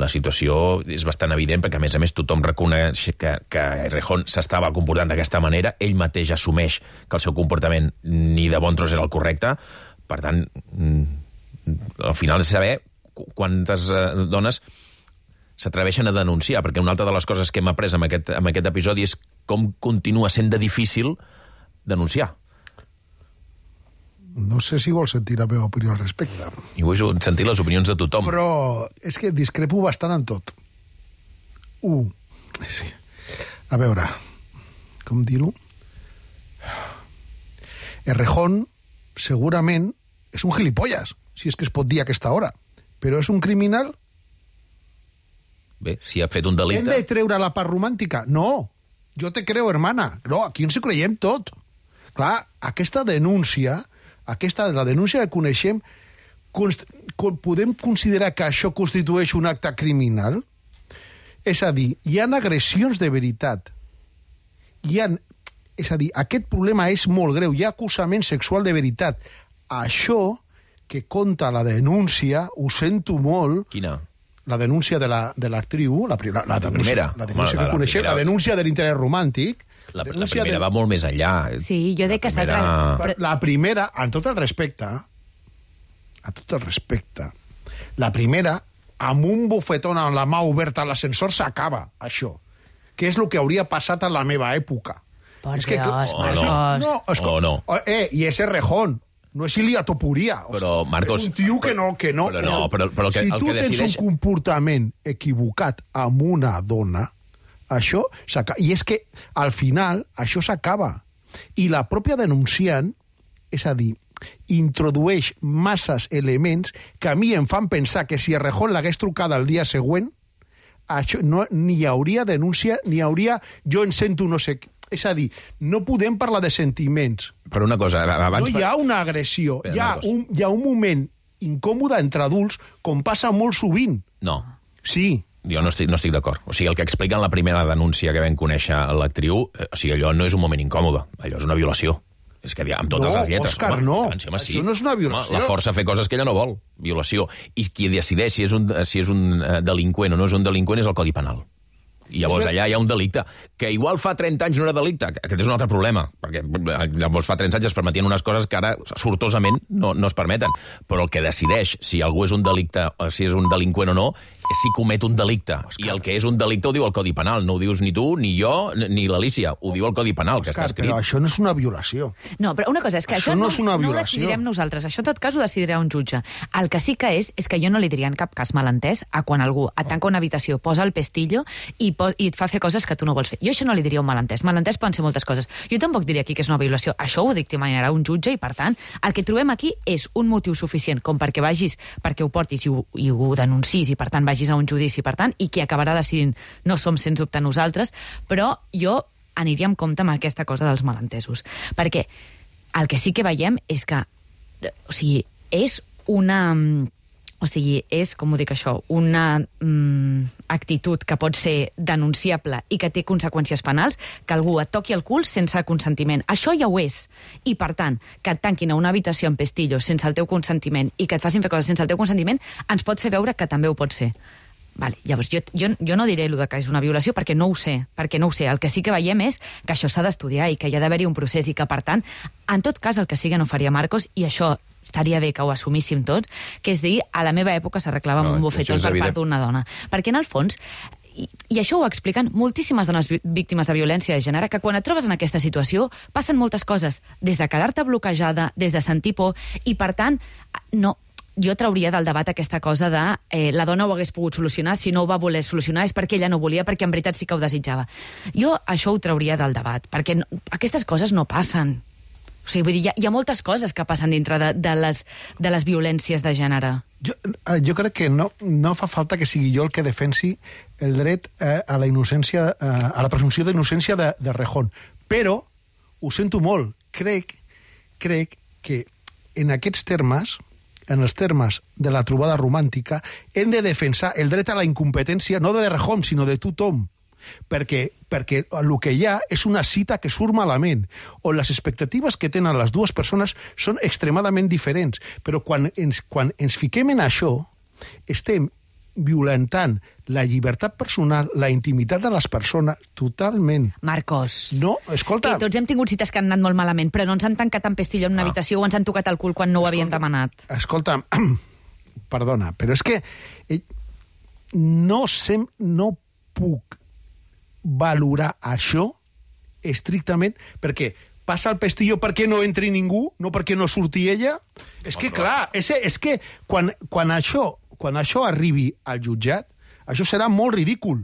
la situació és bastant evident perquè a més a més tothom reconeix que, que Errejón s'estava comportant d'aquesta manera, ell mateix assumeix que el seu comportament ni de bon tros era el correcte. Per tant, al final és saber quantes dones s'atreveixen a denunciar, perquè una altra de les coses que hem après amb aquest, amb aquest episodi és com continua sent de difícil denunciar.
No sé si vols sentir la meva opinió al respecte.
I vull sentir les opinions de tothom.
Però és que discrepo bastant en tot. Un, sí. A veure, com dir-ho? Errejón segurament és un gilipolles, si és que es pot dir a aquesta hora. Però és un criminal?
Bé, si ha fet un delicte...
Hem de treure la part romàntica? No, jo te creo, hermana. No, aquí ens ho creiem tot. Clar, aquesta denúncia, aquesta la denúncia que coneixem, const... podem considerar que això constitueix un acte criminal? És a dir, hi ha agressions de veritat. Hi ha... És a dir, aquest problema és molt greu. Hi ha acusament sexual de veritat. Això que conta la denúncia, ho sento molt...
Quina?
La denúncia de l'actriu, la, la, la, la,
la primera.
La denúncia
Home,
que
la,
coneixem,
la,
la denúncia de l'interès romàntic...
La, la primera de... va molt més enllà.
Sí, jo dic que s'ha...
Primera... La primera, en tot el respecte, a tot el respecte, la primera, amb un bufetón amb la mà oberta a l'ascensor s'acaba, això. Que és el que hauria passat a la meva època.
Per
és que,
Dios,
oh, no.
no, és
oh, no.
Eh, i és Errejón. No és Ilia Topuria.
Però, Marcos...
És un tio que no... Que no
però no, però, però el que,
si
el
tu
que decideix...
tens un comportament equivocat amb una dona, això s'acaba. I és que, al final, això s'acaba. I la pròpia denunciant, és a dir, introdueix masses elements que a mi em fan pensar que si Errejón l'hagués trucada el dia següent, això no, ni hi hauria denúncia, ni hi hauria... Jo en sento no sé... És a dir, no podem parlar de sentiments.
Però una cosa... Abans...
No hi ha una agressió. Hi ha, un, hi ha un moment incòmode entre adults, com passa molt sovint.
No.
Sí.
Jo no estic, no estic d'acord. O sigui, el que explica en la primera denúncia que vam conèixer l'actriu, o sigui, allò no és un moment incòmode, allò és una violació. És que amb totes
no,
les lletres.
Òscar,
home,
no.
Home, sí.
Això no és una violació.
Home, la força a fer coses que ella no vol. Violació. I qui decideix si és un, si és un delinqüent o no és un delinqüent és el Codi Penal. I llavors allà hi ha un delicte, que igual fa trenta anys no era delicte, aquest és un altre problema, perquè llavors fa trenta anys es permetien unes coses que ara sortosament no, no es permeten, però el que decideix si algú és un delicte, si és un delinqüent o no, és si comet un delicte. Òscar. I el que és un delicte ho diu el Codi Penal, no ho dius ni tu, ni jo, ni l'Alícia, ho diu el Codi Penal, que
Òscar,
està escrit.
Però això no és una violació.
No, però una cosa és que
això,
això
no,
no,
és una
no ho
violació.
decidirem nosaltres, això en tot cas ho decidirà un jutge. El que sí que és, és que jo no li diria en cap cas malentès a quan algú et tanca una habitació, posa el pestillo i, pos, i et fa fer coses que tu no vols fer. Jo això no li diria un malentès. Malentès poden ser moltes coses. Jo tampoc diria aquí que és una violació. Això ho dictaminarà un jutge i, per tant, el que trobem aquí és un motiu suficient com perquè vagis, perquè ho portis i ho, i ho denuncis i, per tant, vagis a un judici, per tant, i qui acabarà decidint no som, sens dubte, nosaltres, però jo aniria amb compte amb aquesta cosa dels malentesos. Perquè el que sí que veiem és que, o sigui, és una... O sigui, és, com ho dic això, una mm, actitud que pot ser denunciable i que té conseqüències penals, que algú et toqui el cul sense consentiment. Això ja ho és. I, per tant, que et tanquin a una habitació amb pestillos sense el teu consentiment i que et facin fer coses sense el teu consentiment, ens pot fer veure que també ho pot ser. Vale, llavors, jo, jo, jo no diré allò que és una violació perquè no ho sé, perquè no ho sé. El que sí que veiem és que això s'ha d'estudiar i que hi ha d'haver-hi un procés i que, per tant, en tot cas, el que sigui no faria Marcos, i això estaria bé que ho assumíssim tots, que és dir, a la meva època s'arreglava amb
no,
un bofetó per part d'una dona. Perquè, en el fons, i, i això ho expliquen moltíssimes dones víctimes de violència de gènere, que quan et trobes en aquesta situació passen moltes coses, des de quedar-te bloquejada, des de sentir por, i per tant, no... jo trauria del debat aquesta cosa de eh, la dona ho hagués pogut solucionar, si no ho va voler solucionar és perquè ella no volia, perquè en veritat sí que ho desitjava. Jo això ho trauria del debat, perquè no, aquestes coses no passen. O sigui, vull dir, hi ha, hi ha moltes coses que passen dintre de, de, les, de les violències de gènere.
Jo, jo crec que no, no fa falta que sigui jo el que defensi el dret eh, a la innocència, eh, a la presumpció d'innocència de, de Rejón. Però, ho sento molt, crec, crec que en aquests termes, en els termes de la trobada romàntica, hem de defensar el dret a la incompetència no de Rejón, sinó de tothom. Perquè, perquè el que hi ha és una cita que surt malament, on les expectatives que tenen les dues persones són extremadament diferents. Però quan ens, quan ens fiquem en això, estem violentant la llibertat personal, la intimitat de les persones, totalment.
Marcos.
No, escolta...
Que tots hem tingut cites que han anat molt malament, però no ens han tancat en pestillo en una ah. habitació o ens han tocat el cul quan no ho havien demanat.
Escolta, perdona, però és que eh, no, sem, no puc valorar això estrictament perquè passa el pestillo perquè no entri ningú, no perquè no surti ella. És que, clar, és, és que quan, quan, això, quan això arribi al jutjat, això serà molt ridícul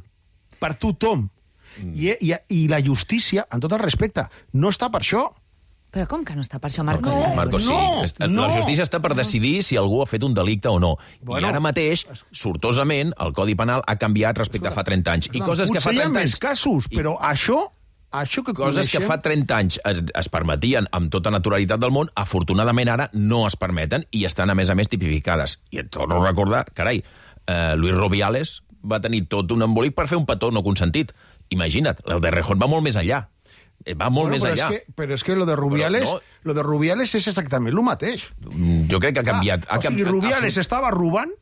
per tothom. Mm. I, i, I la justícia, en tot el respecte, no està per això.
Però com que no està per això, Marcos?
No, Marcos,
no,
sí. No. La justícia està per decidir si algú ha fet un delicte o no. Bueno, I ara mateix, sortosament, el Codi Penal ha canviat respecte a fa trenta anys. I coses que fa trenta anys...
Potser hi ha més casos, però això... Això que
coses
coneixem...
que fa trenta anys es, es permetien amb tota naturalitat del món, afortunadament ara no es permeten i estan, a més a més, tipificades. I et torno a recordar, carai, eh, Luis Rubiales va tenir tot un embolic per fer un petó no consentit. Imagina't, el de Rejón va molt més enllà. Va molt
bueno,
més
però
enllà.
És que, però és que lo de Rubiales, no, lo de Rubiales és exactament el mateix.
Jo crec que ha canviat.
Ah,
ha
o sigui,
canviat,
Rubiales ha... estava robant,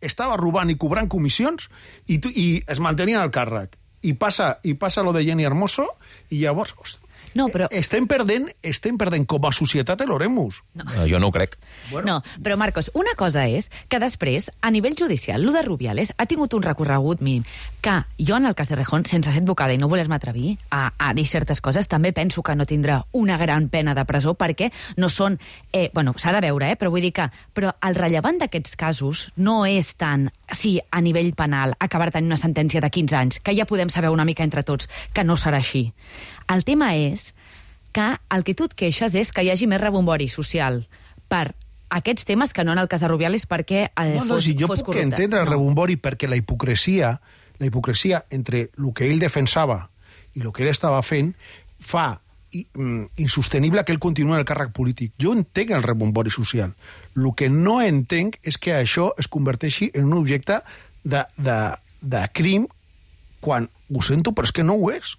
estava robant i cobrant comissions i, tu, i es mantenia al càrrec. I passa, i passa lo de Jenny Hermoso i llavors... Hosti,
no, però...
estem perdent, estem perdent com a societat l'oremus.
No.
No, jo no ho crec.
Bueno. No, però Marcos, una cosa és que després, a nivell judicial, lo de Rubiales ha tingut un recorregut mínim que jo, en el cas de Rejón, sense ser advocada i no voler-me atrevir a, a dir certes coses, també penso que no tindrà una gran pena de presó perquè no són... Eh, bueno, s'ha de veure, eh, però vull dir que... Però el rellevant d'aquests casos no és tant, sí, a nivell penal, acabar tenint una sentència de quinze anys, que ja podem saber una mica entre tots que no serà així. El tema és que el que tu et queixes és que hi hagi més rebombori social per aquests temes que no en el cas de Rubiales perquè eh,
no, no,
fos,
si jo
fos
puc
corrupte.
entendre el
no.
rebombori perquè la hipocresia, la hipocresia entre el que ell defensava i el que ell estava fent fa i, mm, insostenible que ell continuï en el càrrec polític. Jo entenc el rebombori social. El que no entenc és que això es converteixi en un objecte de, de, de crim quan ho sento, però és que no ho és.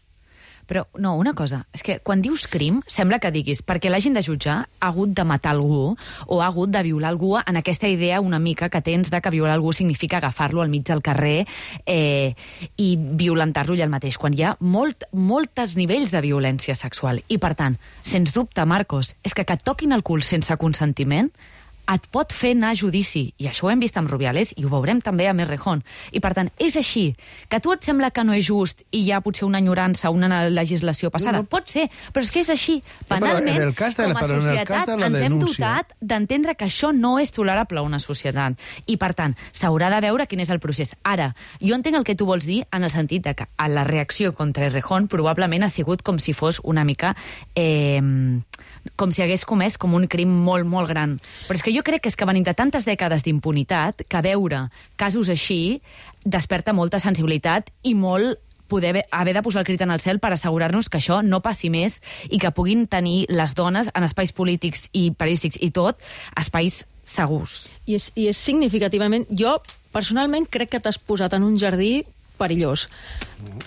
Però, no, una cosa, és que quan dius crim, sembla que diguis, perquè l'hagin de jutjar, ha hagut de matar algú o ha hagut de violar algú en aquesta idea una mica que tens de que violar algú significa agafar-lo al mig del carrer eh, i violentar-lo allà al mateix, quan hi ha molt, moltes nivells de violència sexual. I, per tant, sens dubte, Marcos, és que que et toquin el cul sense consentiment et pot fer anar a judici, i això ho hem vist amb Rubiales i ho veurem també amb Errejón. I, per tant, és així, que a tu et sembla que no és just i hi ha potser una enyorança, una legislació passada. No, no. Pot ser, però és que és així. Penalment,
ja, de la, com a societat,
ens hem dotat d'entendre que això no és tolerable a una societat. I, per tant, s'haurà de veure quin és el procés. Ara, jo entenc el que tu vols dir en el sentit de que la reacció contra Errejón probablement ha sigut com si fos una mica... Eh, com si hagués comès com un crim molt, molt gran. Però és que jo crec que és que venim de tantes dècades d'impunitat que veure casos així desperta molta sensibilitat i molt poder haver de posar el crit en el cel per assegurar-nos que això no passi més i que puguin tenir les dones en espais polítics i periodístics i tot, espais segurs.
I és, i és significativament... Jo, personalment, crec que t'has posat en un jardí perillós.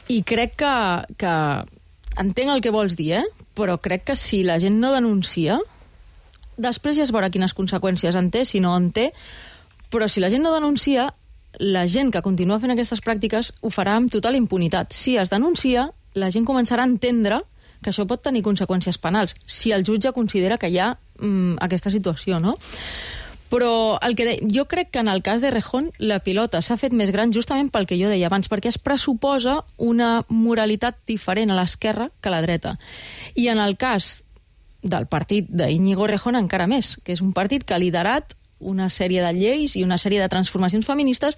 I crec que... que entenc el que vols dir, eh? Però crec que si la gent no denuncia, després ja es veurà quines conseqüències en té, si no en té, però si la gent no denuncia, la gent que continua fent aquestes pràctiques ho farà amb total impunitat. Si es denuncia, la gent començarà a entendre que això pot tenir conseqüències penals, si el jutge considera que hi ha mm, aquesta situació, no? Però el que de... jo crec que en el cas d'Errejón la pilota s'ha fet més gran justament pel que jo deia abans, perquè es pressuposa una moralitat diferent a l'esquerra que a la dreta. I en el cas del partit d'Iñigo Errejón encara més, que és un partit que ha liderat una sèrie de lleis i una sèrie de transformacions feministes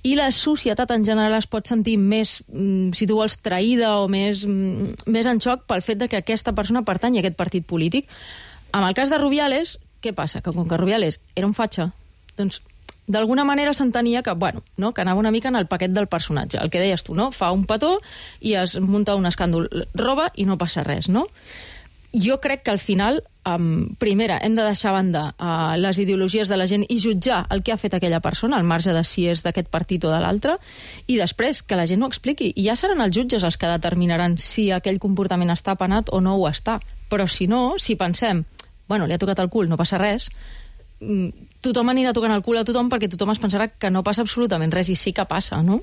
i la societat en general es pot sentir més, si tu vols, traïda o més, més en xoc pel fet de que aquesta persona pertany a aquest partit polític. En el cas de Rubiales, què passa? Que com que Rubiales era un fatxa, doncs d'alguna manera s'entenia que, bueno, no, que anava una mica en el paquet del personatge. El que deies tu, no? Fa un petó i es munta un escàndol, roba i no passa res, no? Jo crec que al final, um, primera, hem de deixar a banda uh, les ideologies de la gent i jutjar el que ha fet aquella persona, al marge de si és d'aquest partit o de l'altre, i després que la gent ho expliqui. I ja seran els jutges els que determinaran si aquell comportament està penat o no ho està. Però si no, si pensem bueno, li ha tocat el cul, no passa res, tothom anirà tocant el cul a tothom perquè tothom es pensarà que no passa absolutament res, i sí que passa, no?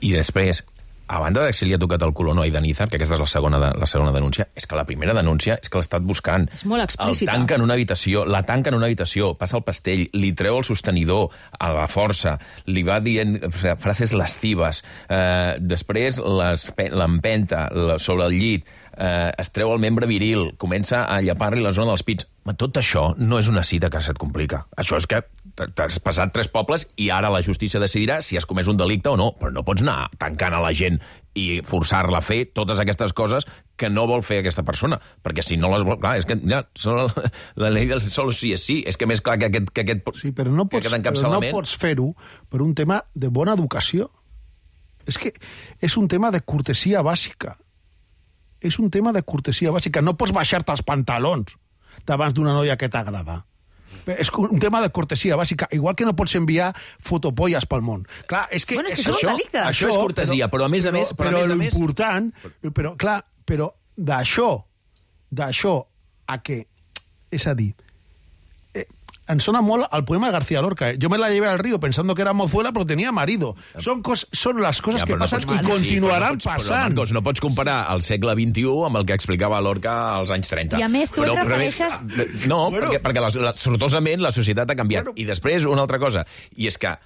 I després, a banda de si li ha tocat el cul o no a Idanízar, que aquesta és la segona, de, la segona denúncia, és que la primera denúncia és que l'ha estat buscant.
És molt explícita.
El tanca en una habitació, la tanca en una habitació, passa el pastell, li treu el sostenidor a la força, li va dient frases lascives, eh, després l'empenta sobre el llit, eh, es treu el membre viril, comença a llapar-li la zona dels pits. Tot això no és una cita que se't complica. Això és que t'has passat tres pobles i ara la justícia decidirà si has comès un delicte o no, però no pots anar tancant a la gent i forçar-la a fer totes aquestes coses que no vol fer aquesta persona, perquè si no les vol... Clar, és que ja, la llei del solo sí és sí, és que més clar que aquest, que aquest,
sí, però no pots,
que aquest encapçalament...
Però no pots fer-ho per un tema de bona educació. És que és un tema de cortesia bàsica. És un tema de cortesia bàsica. No pots baixar-te els pantalons davant d'una noia que t'agrada. És un tema de cortesia bàsica, igual que no pots enviar fotopolles pel món. Clar, és que...
Bueno, és que
això,
això, això,
això és cortesia, però, però a més a més...
Però, però,
però a més a més...
l'important... Però, clar, però d'això, d'això a que... És a dir, eh, em sona molt al poema de García Lorca. Eh? Jo me la llevé al río pensando que era mozuela, però tenia marido. Són, cos, són les coses ja, que passen no i continuaran sí, no pots, passant.
Marcos, no pots comparar el segle vint-i-u amb el que explicava Lorca als anys trenta.
I a més, tu però, et refereixes...
Però, no, bueno, perquè, perquè la, la, sortosament la societat ha canviat. Bueno, I després, una altra cosa, i és que,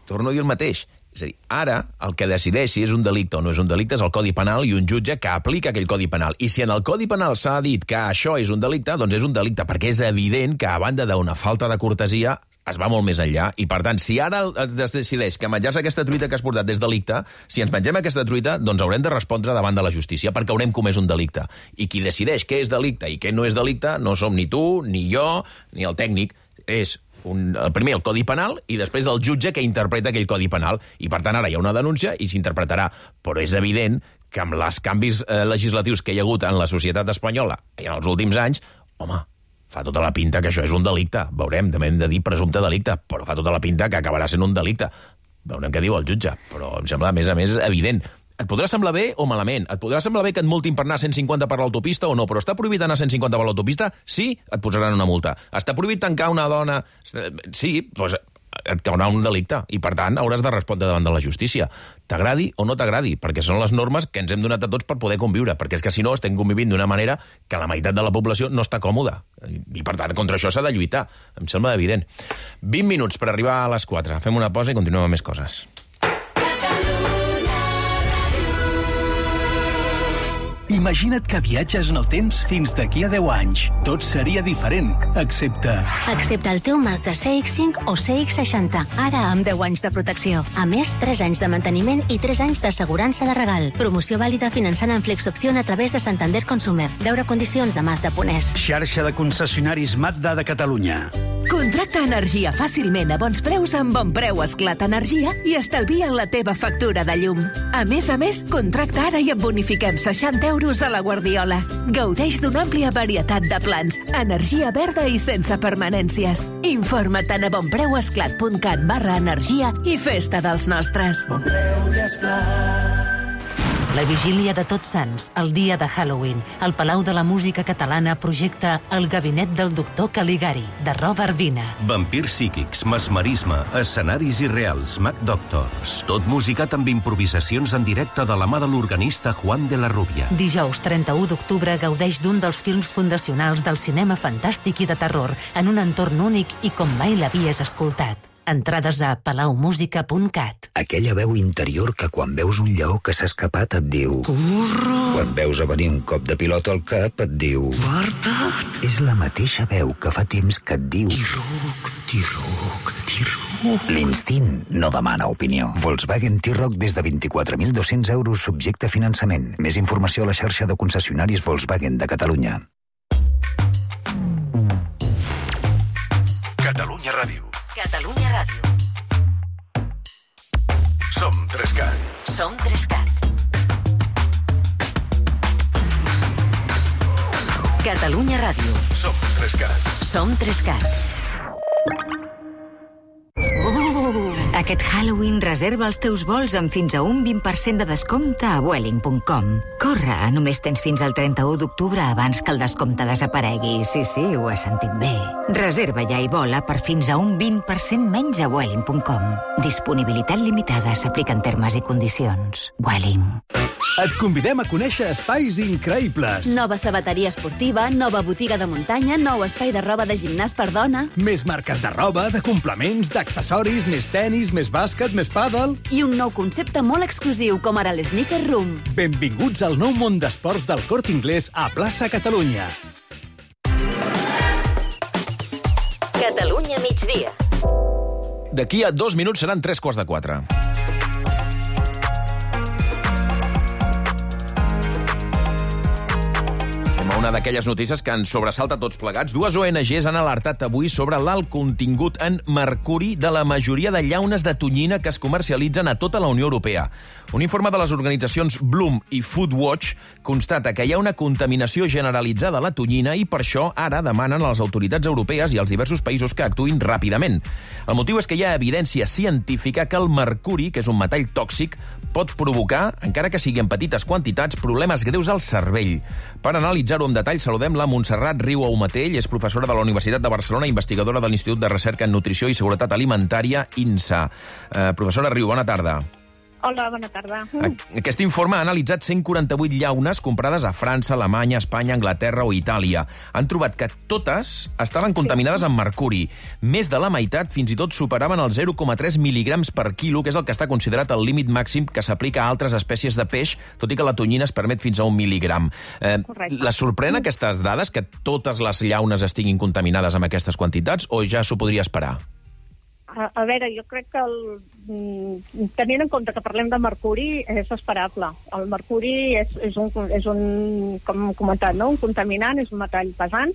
torno a dir el mateix, és a dir, ara el que decideix si és un delicte o no és un delicte és el Codi Penal i un jutge que aplica aquell Codi Penal. I si en el Codi Penal s'ha dit que això és un delicte, doncs és un delicte, perquè és evident que a banda d'una falta de cortesia es va molt més enllà. I per tant, si ara es decideix que menjar-se aquesta truita que has portat és delicte, si ens mengem aquesta truita, doncs haurem de respondre davant de la justícia perquè haurem comès un delicte. I qui decideix què és delicte i què no és delicte no som ni tu, ni jo, ni el tècnic. És un, el primer el Codi Penal i després el jutge que interpreta aquell Codi Penal. I per tant ara hi ha una denúncia i s'interpretarà. Però és evident que amb els canvis eh, legislatius que hi ha hagut en la societat espanyola i en els últims anys, home, fa tota la pinta que això és un delicte. Veurem, també hem de dir presumpte delicte, però fa tota la pinta que acabarà sent un delicte. Veurem què diu el jutge, però em sembla, a més a més, evident. Et podrà semblar bé o malament? Et podrà semblar bé que et multin per anar a cent cinquanta per l'autopista o no, però està prohibit anar a cent cinquanta per l'autopista? Sí, et posaran una multa. Està prohibit tancar una dona? Sí, doncs et caurà un delicte i, per tant, hauràs de respondre davant de la justícia. T'agradi o no t'agradi, perquè són les normes que ens hem donat a tots per poder conviure, perquè és que si no estem convivint d'una manera que la meitat de la població no està còmoda. I, per tant, contra això s'ha de lluitar. Em sembla evident. vint minuts per arribar a les quatre. Fem una pausa i continuem amb més coses.
Imagina't que viatges en el temps fins d'aquí a deu anys. Tot seria diferent, excepte...
Excepte el teu Mazda C X cinc o C X seixanta, ara amb deu anys de protecció. A més, tres anys de manteniment i tres anys d'assegurança de regal. Promoció vàlida finançant en Flexopció a través de Santander Consumer. Veure condicions de Mazda punts es.
Xarxa de concessionaris Mazda de Catalunya.
Contracta energia fàcilment a bons preus amb Bon Preu Esclat Energia i estalvia la teva factura de llum. A més a més, contracta ara i et bonifiquem seixanta euros a la Guardiola. Gaudeix d'una àmplia varietat de plans, energia verda i sense permanències. Informa't a bonpreuesclat.cat barra energia i festa dels nostres.
Bon Preu i Esclat.
La vigília de Tots Sants, el dia de Halloween, el Palau de la Música Catalana projecta El gabinet del doctor Caligari, de Robert Vina.
Vampirs psíquics, mesmerisme, escenaris irreals, Mad Doctors. Tot musicat amb improvisacions en directe de la mà de l'organista Juan de la Rubia.
Dijous trenta-u d'octubre gaudeix d'un dels films fundacionals del cinema fantàstic i de terror, en un entorn únic i com mai l'havies escoltat. Entrades a palaumusica punt cat.
Aquella veu interior que quan veus un lleó que s'ha escapat et diu... Corre! Quan veus a venir un cop de pilota al cap et diu... Guarda't! És la mateixa veu que fa temps que et diu... T-Roc, T-Roc, T-Roc... L'instint no demana opinió. Volkswagen T-Roc des de vint-i-quatre mil dos-cents euros subjecte a finançament. Més informació a la xarxa de concessionaris Volkswagen de Catalunya.
Catalunya Ràdio.
Catalunya Ràdio.
Som Trescat.
Som Trescat. Catalunya Ràdio.
Som Trescat.
Som Trescat.
Uh, aquest Halloween reserva els teus vols amb fins a un vint per cent de descompte a Vueling punt com. Corre, només tens fins al trenta-u d'octubre abans que el descompte desaparegui. Sí, sí, ho has sentit bé. Reserva ja i vola per fins a un vint per cent menys a Vueling punt com. Disponibilitat limitada, s'apliquen termes i condicions. Vueling.
Et convidem a conèixer espais increïbles.
Nova sabateria esportiva, nova botiga de muntanya, nou espai de roba de gimnàs per dona.
Més marques de roba, de complements, d'accessoris, més tenis, més bàsquet, més pàdel.
I un nou concepte molt exclusiu, com ara l'Sneaker Room.
Benvinguts al nou món d'esports del Corte Inglés a Plaça Catalunya.
Catalunya migdia.
D'aquí a dos minuts seran tres quarts de quatre. Una d'aquelles notícies que ens sobresalta tots plegats. Dues O N Ges han alertat avui sobre l'alt contingut en mercuri de la majoria de llaunes de tonyina que es comercialitzen a tota la Unió Europea. Un informe de les organitzacions Bloom i Foodwatch constata que hi ha una contaminació generalitzada a la tonyina i per això ara demanen a les autoritats europees i als diversos països que actuïn ràpidament. El motiu és que hi ha evidència científica que el mercuri, que és un metall tòxic, pot provocar, encara que sigui en petites quantitats, problemes greus al cervell. Per analitzar-ho amb detall, saludem la Montserrat Riu Aumatell, és professora de la Universitat de Barcelona, investigadora de l'Institut de Recerca en Nutrició i Seguretat Alimentària, INSA. Eh, professora Riu, bona tarda.
Hola, bona tarda.
Aquest informe ha analitzat cent quaranta-vuit llaunes comprades a França, Alemanya, Espanya, Anglaterra o Itàlia. Han trobat que totes estaven contaminades amb mercuri. Més de la meitat fins i tot superaven els zero coma tres mil·ligrams per quilo, que és el que està considerat el límit màxim que s'aplica a altres espècies de peix, tot i que la tonyina es permet fins a un mil·ligram. Eh, la sorprèn aquestes dades, que totes les llaunes estiguin contaminades amb aquestes quantitats, o ja s'ho podria esperar?
A, a veure, jo crec que el, tenint en compte que parlem de mercuri és esperable. El mercuri és, és, un, és un, com hem comentat, no? un contaminant, és un metall pesant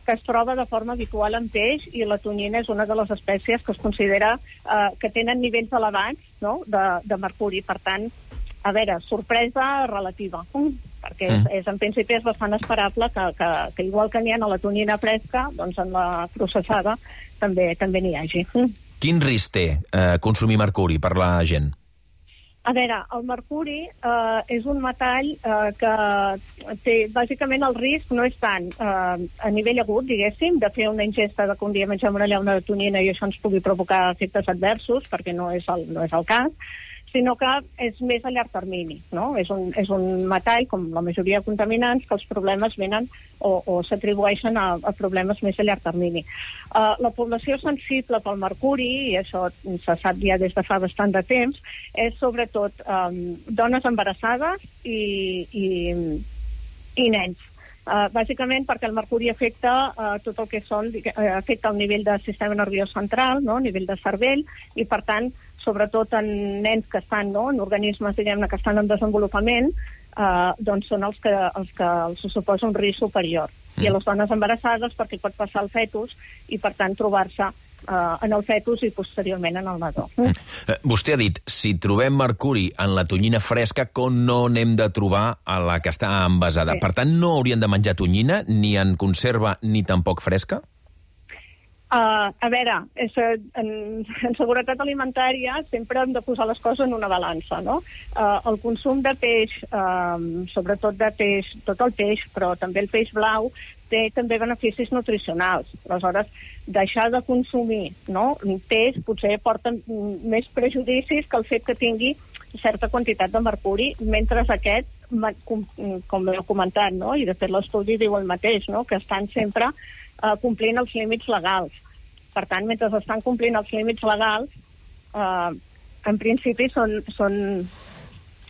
que es troba de forma habitual en peix i la tonyina és una de les espècies que es considera eh, que tenen nivells elevats, no? de, de mercuri. Per tant, a veure, sorpresa relativa, perquè és, és, en principi és bastant esperable que, que, que igual que n'hi ha a la tonyina fresca, doncs en la processada també també n'hi hagi.
Quin risc té eh, consumir mercuri per la gent?
A veure, el mercuri eh, és un metall eh, que té, bàsicament el risc no és tant eh, a nivell agut, diguéssim, de fer una ingesta de que un dia mengem una llauna de tonyina i això ens pugui provocar efectes adversos, perquè no és el, no és el cas, sinó que és més a llarg termini, no? És un, és un metall, com la majoria de contaminants, que els problemes venen o, o s'atribueixen a, a problemes més a llarg termini. Uh, la població sensible pel mercuri, i això se sap ja des de fa bastant de temps, és sobretot um, dones embarassades i, i, i nens. Uh, bàsicament perquè el mercuri afecta uh, tot el que són, uh, afecta el nivell del sistema nerviós central, no? Nivell de cervell, i per tant, sobretot en nens que estan, no? En organismes, diguem-ne, que estan en desenvolupament, uh, doncs són els que, els que els suposa un risc superior. Mm. I a les dones embarassades perquè pot passar al fetus i per tant trobar-se Uh, en el fetus i posteriorment en el nadó. Mm.
Uh, vostè ha dit, si trobem mercuri en la tonyina fresca, com no n'hem de trobar a la que està envasada. Sí. Per tant, no haurien de menjar tonyina, ni en conserva, ni tampoc fresca?
Uh, a veure, és, en, en seguretat alimentària sempre hem de posar les coses en una balança, no? Uh, el consum de peix, uh, sobretot de peix, tot el peix, però també el peix blau, té també beneficis nutricionals. Aleshores, deixar de consumir, no? Peix potser porta més prejudicis que el fet que tingui certa quantitat de mercuri, mentre aquest, com, com heu comentat, no? I de fet l'estudi diu el mateix, no? Que estan sempre uh, complint els límits legals. Per tant, mentre estan complint els límits legals, eh, en principi són, són,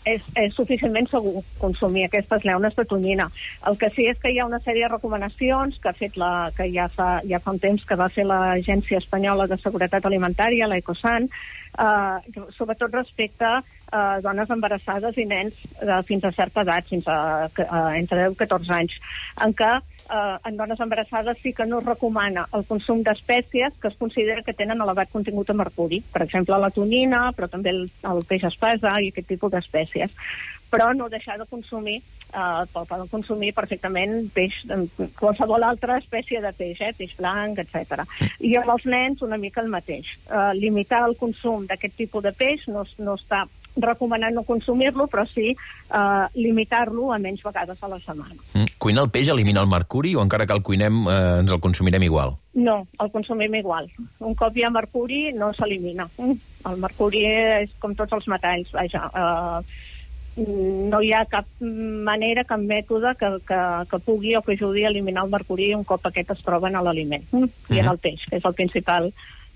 és, és suficientment segur consumir aquestes llaunes de tonyina. El que sí és que hi ha una sèrie de recomanacions que ha fet la, que ja fa, ja fa un temps que va fer l'Agència Espanyola de Seguretat Alimentària, l'Ecosan, eh, sobretot respecte a dones embarassades i nens eh, fins a certa edat, fins a, a entre deu i catorze anys, en què Uh, en dones embarassades sí que no es recomana el consum d'espècies que es considera que tenen elevat contingut de mercuri. Per exemple, la tonyina, però també el, el peix espasa i aquest tipus d'espècies. Però no deixar de consumir, uh, poden consumir perfectament peix, qualsevol altra espècie de peix, eh, peix blanc, etcètera. I amb els nens una mica el mateix. Uh, limitar el consum d'aquest tipus de peix no, no està recomanant no consumir-lo, però sí eh, limitar-lo a menys vegades a la setmana.
Mm. Cuinar el peix elimina el mercuri o encara que el cuinem eh, ens el consumirem igual?
No, el consumim igual. Un cop hi ha mercuri no s'elimina. El mercuri és com tots els metalls, vaja. Eh, no hi ha cap manera, cap mètode que, que, que pugui o que ajudi a eliminar el mercuri un cop aquest es troba en l'aliment. Mm. I en el peix, que és el principal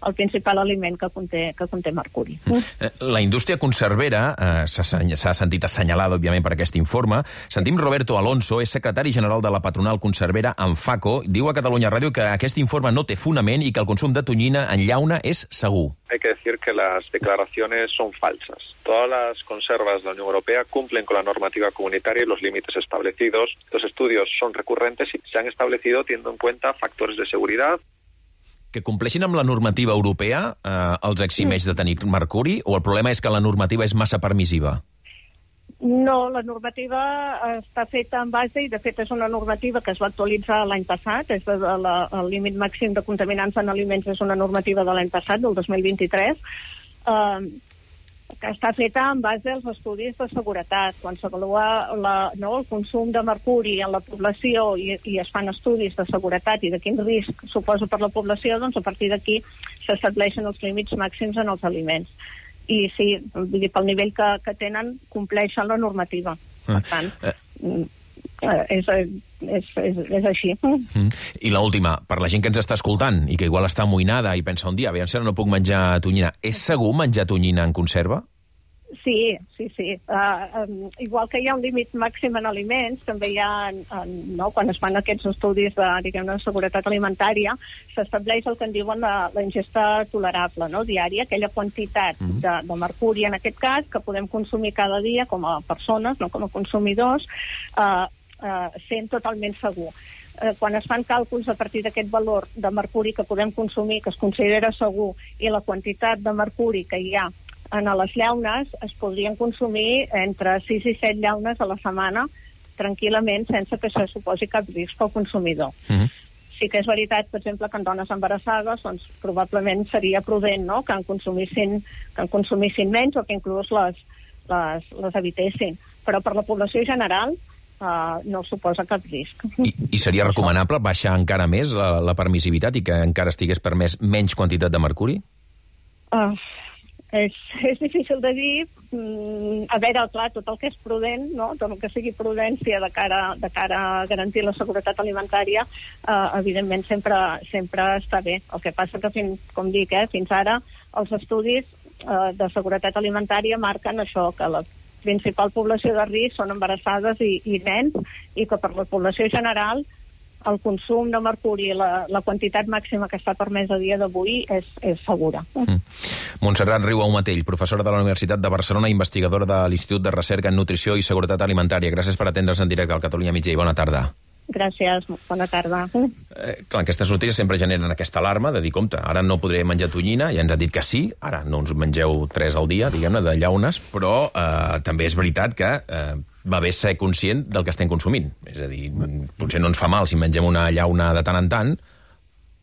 el principal aliment que conté, que conté mercuri.
Mm. La indústria conservera eh, s'ha sentit assenyalada, òbviament, per aquest informe. Sentim Roberto Alonso, és secretari general de la patronal conservera Anfaco. Diu a Catalunya Ràdio que aquest informe no té fonament i que el consum de tonyina en llauna és segur.
Hay que decir que las declaraciones son falsas. Todas las conservas de la Unión Europea cumplen con la normativa comunitaria y los límites establecidos. Los estudios son recurrentes y se han establecido teniendo en cuenta factores de seguridad.
Que compleixin amb la normativa europea eh, els eximeix de tenir mercuri, o el problema és que la normativa és massa permissiva?
No, la normativa està feta en base, i de fet és una normativa que es va actualitzar l'any passat, és de la, el límit màxim de contaminants en aliments és una normativa de l'any passat, del dos mil vint-i-tres, eh, que està feta en base als estudis de seguretat. Quan s'avalua la, no, el consum de mercuri en la població i, i es fan estudis de seguretat i de quin risc suposa per la població, doncs a partir d'aquí s'estableixen els límits màxims en els aliments. I sí, vull dir, pel nivell que, que tenen, compleixen la normativa. Per tant, és, és, és, és així.
Mm. I l'última, per la gent que ens està escoltant i que igual està amoïnada i pensa un dia, aviam si ara no puc menjar tonyina, és segur menjar tonyina en conserva?
Sí, sí, sí. Uh, um, igual que hi ha un límit màxim en aliments, també hi ha, en, no, quan es fan aquests estudis de, diguem-ne, de seguretat alimentària, s'estableix el que en diuen la, la ingesta tolerable, no, diària, aquella quantitat mm. de, de mercuri, en aquest cas, que podem consumir cada dia com a persones, no com a consumidors, uh, uh, sent totalment segur. Uh, quan es fan càlculs a partir d'aquest valor de mercuri que podem consumir, que es considera segur, i la quantitat de mercuri que hi ha en les llaunes, es podrien consumir entre sis i set llaunes a la setmana tranquil·lament, sense que això suposi cap risc al consumidor. Mm-hmm. sí que és veritat, per exemple, que en dones embarassades doncs, probablement seria prudent, no?, que en consumissin, que en consumissin menys o que inclús les, les, les evitessin. Però per la població general uh, no suposa cap risc.
I, i seria recomanable baixar encara més la, la permissivitat i que encara estigués permès menys quantitat de mercuri?
Uh, és, és difícil de dir. Mm, a veure, clar, tot el que és prudent, no? Tot el que sigui prudència de cara, de cara a garantir la seguretat alimentària, uh, evidentment sempre, sempre està bé. El que passa que, fins, com dic, eh, fins ara els estudis uh, de seguretat alimentària marquen això, que la principal població de risc són embarassades i, i nens, i que per la població general el consum de mercuri, la, la quantitat màxima que està permès a dia d'avui és, és segura.
Mm. Montserrat Riu Aumatell, professora de la Universitat de Barcelona, investigadora de l'Institut de Recerca en Nutrició i Seguretat Alimentària. Gràcies per atendre's en directe al Catalunya Migdia i bona tarda.
Gràcies, bona tarda.
Eh, clar, aquestes notícies sempre generen aquesta alarma de dir, compte, ara no podré menjar tonyina, ja ens ha dit que sí, ara no ens mengeu tres al dia, diguem-ne, de llaunes, però eh, també és veritat que eh, va bé ser conscient del que estem consumint. És a dir, potser no ens fa mal si mengem una llauna de tant en tant,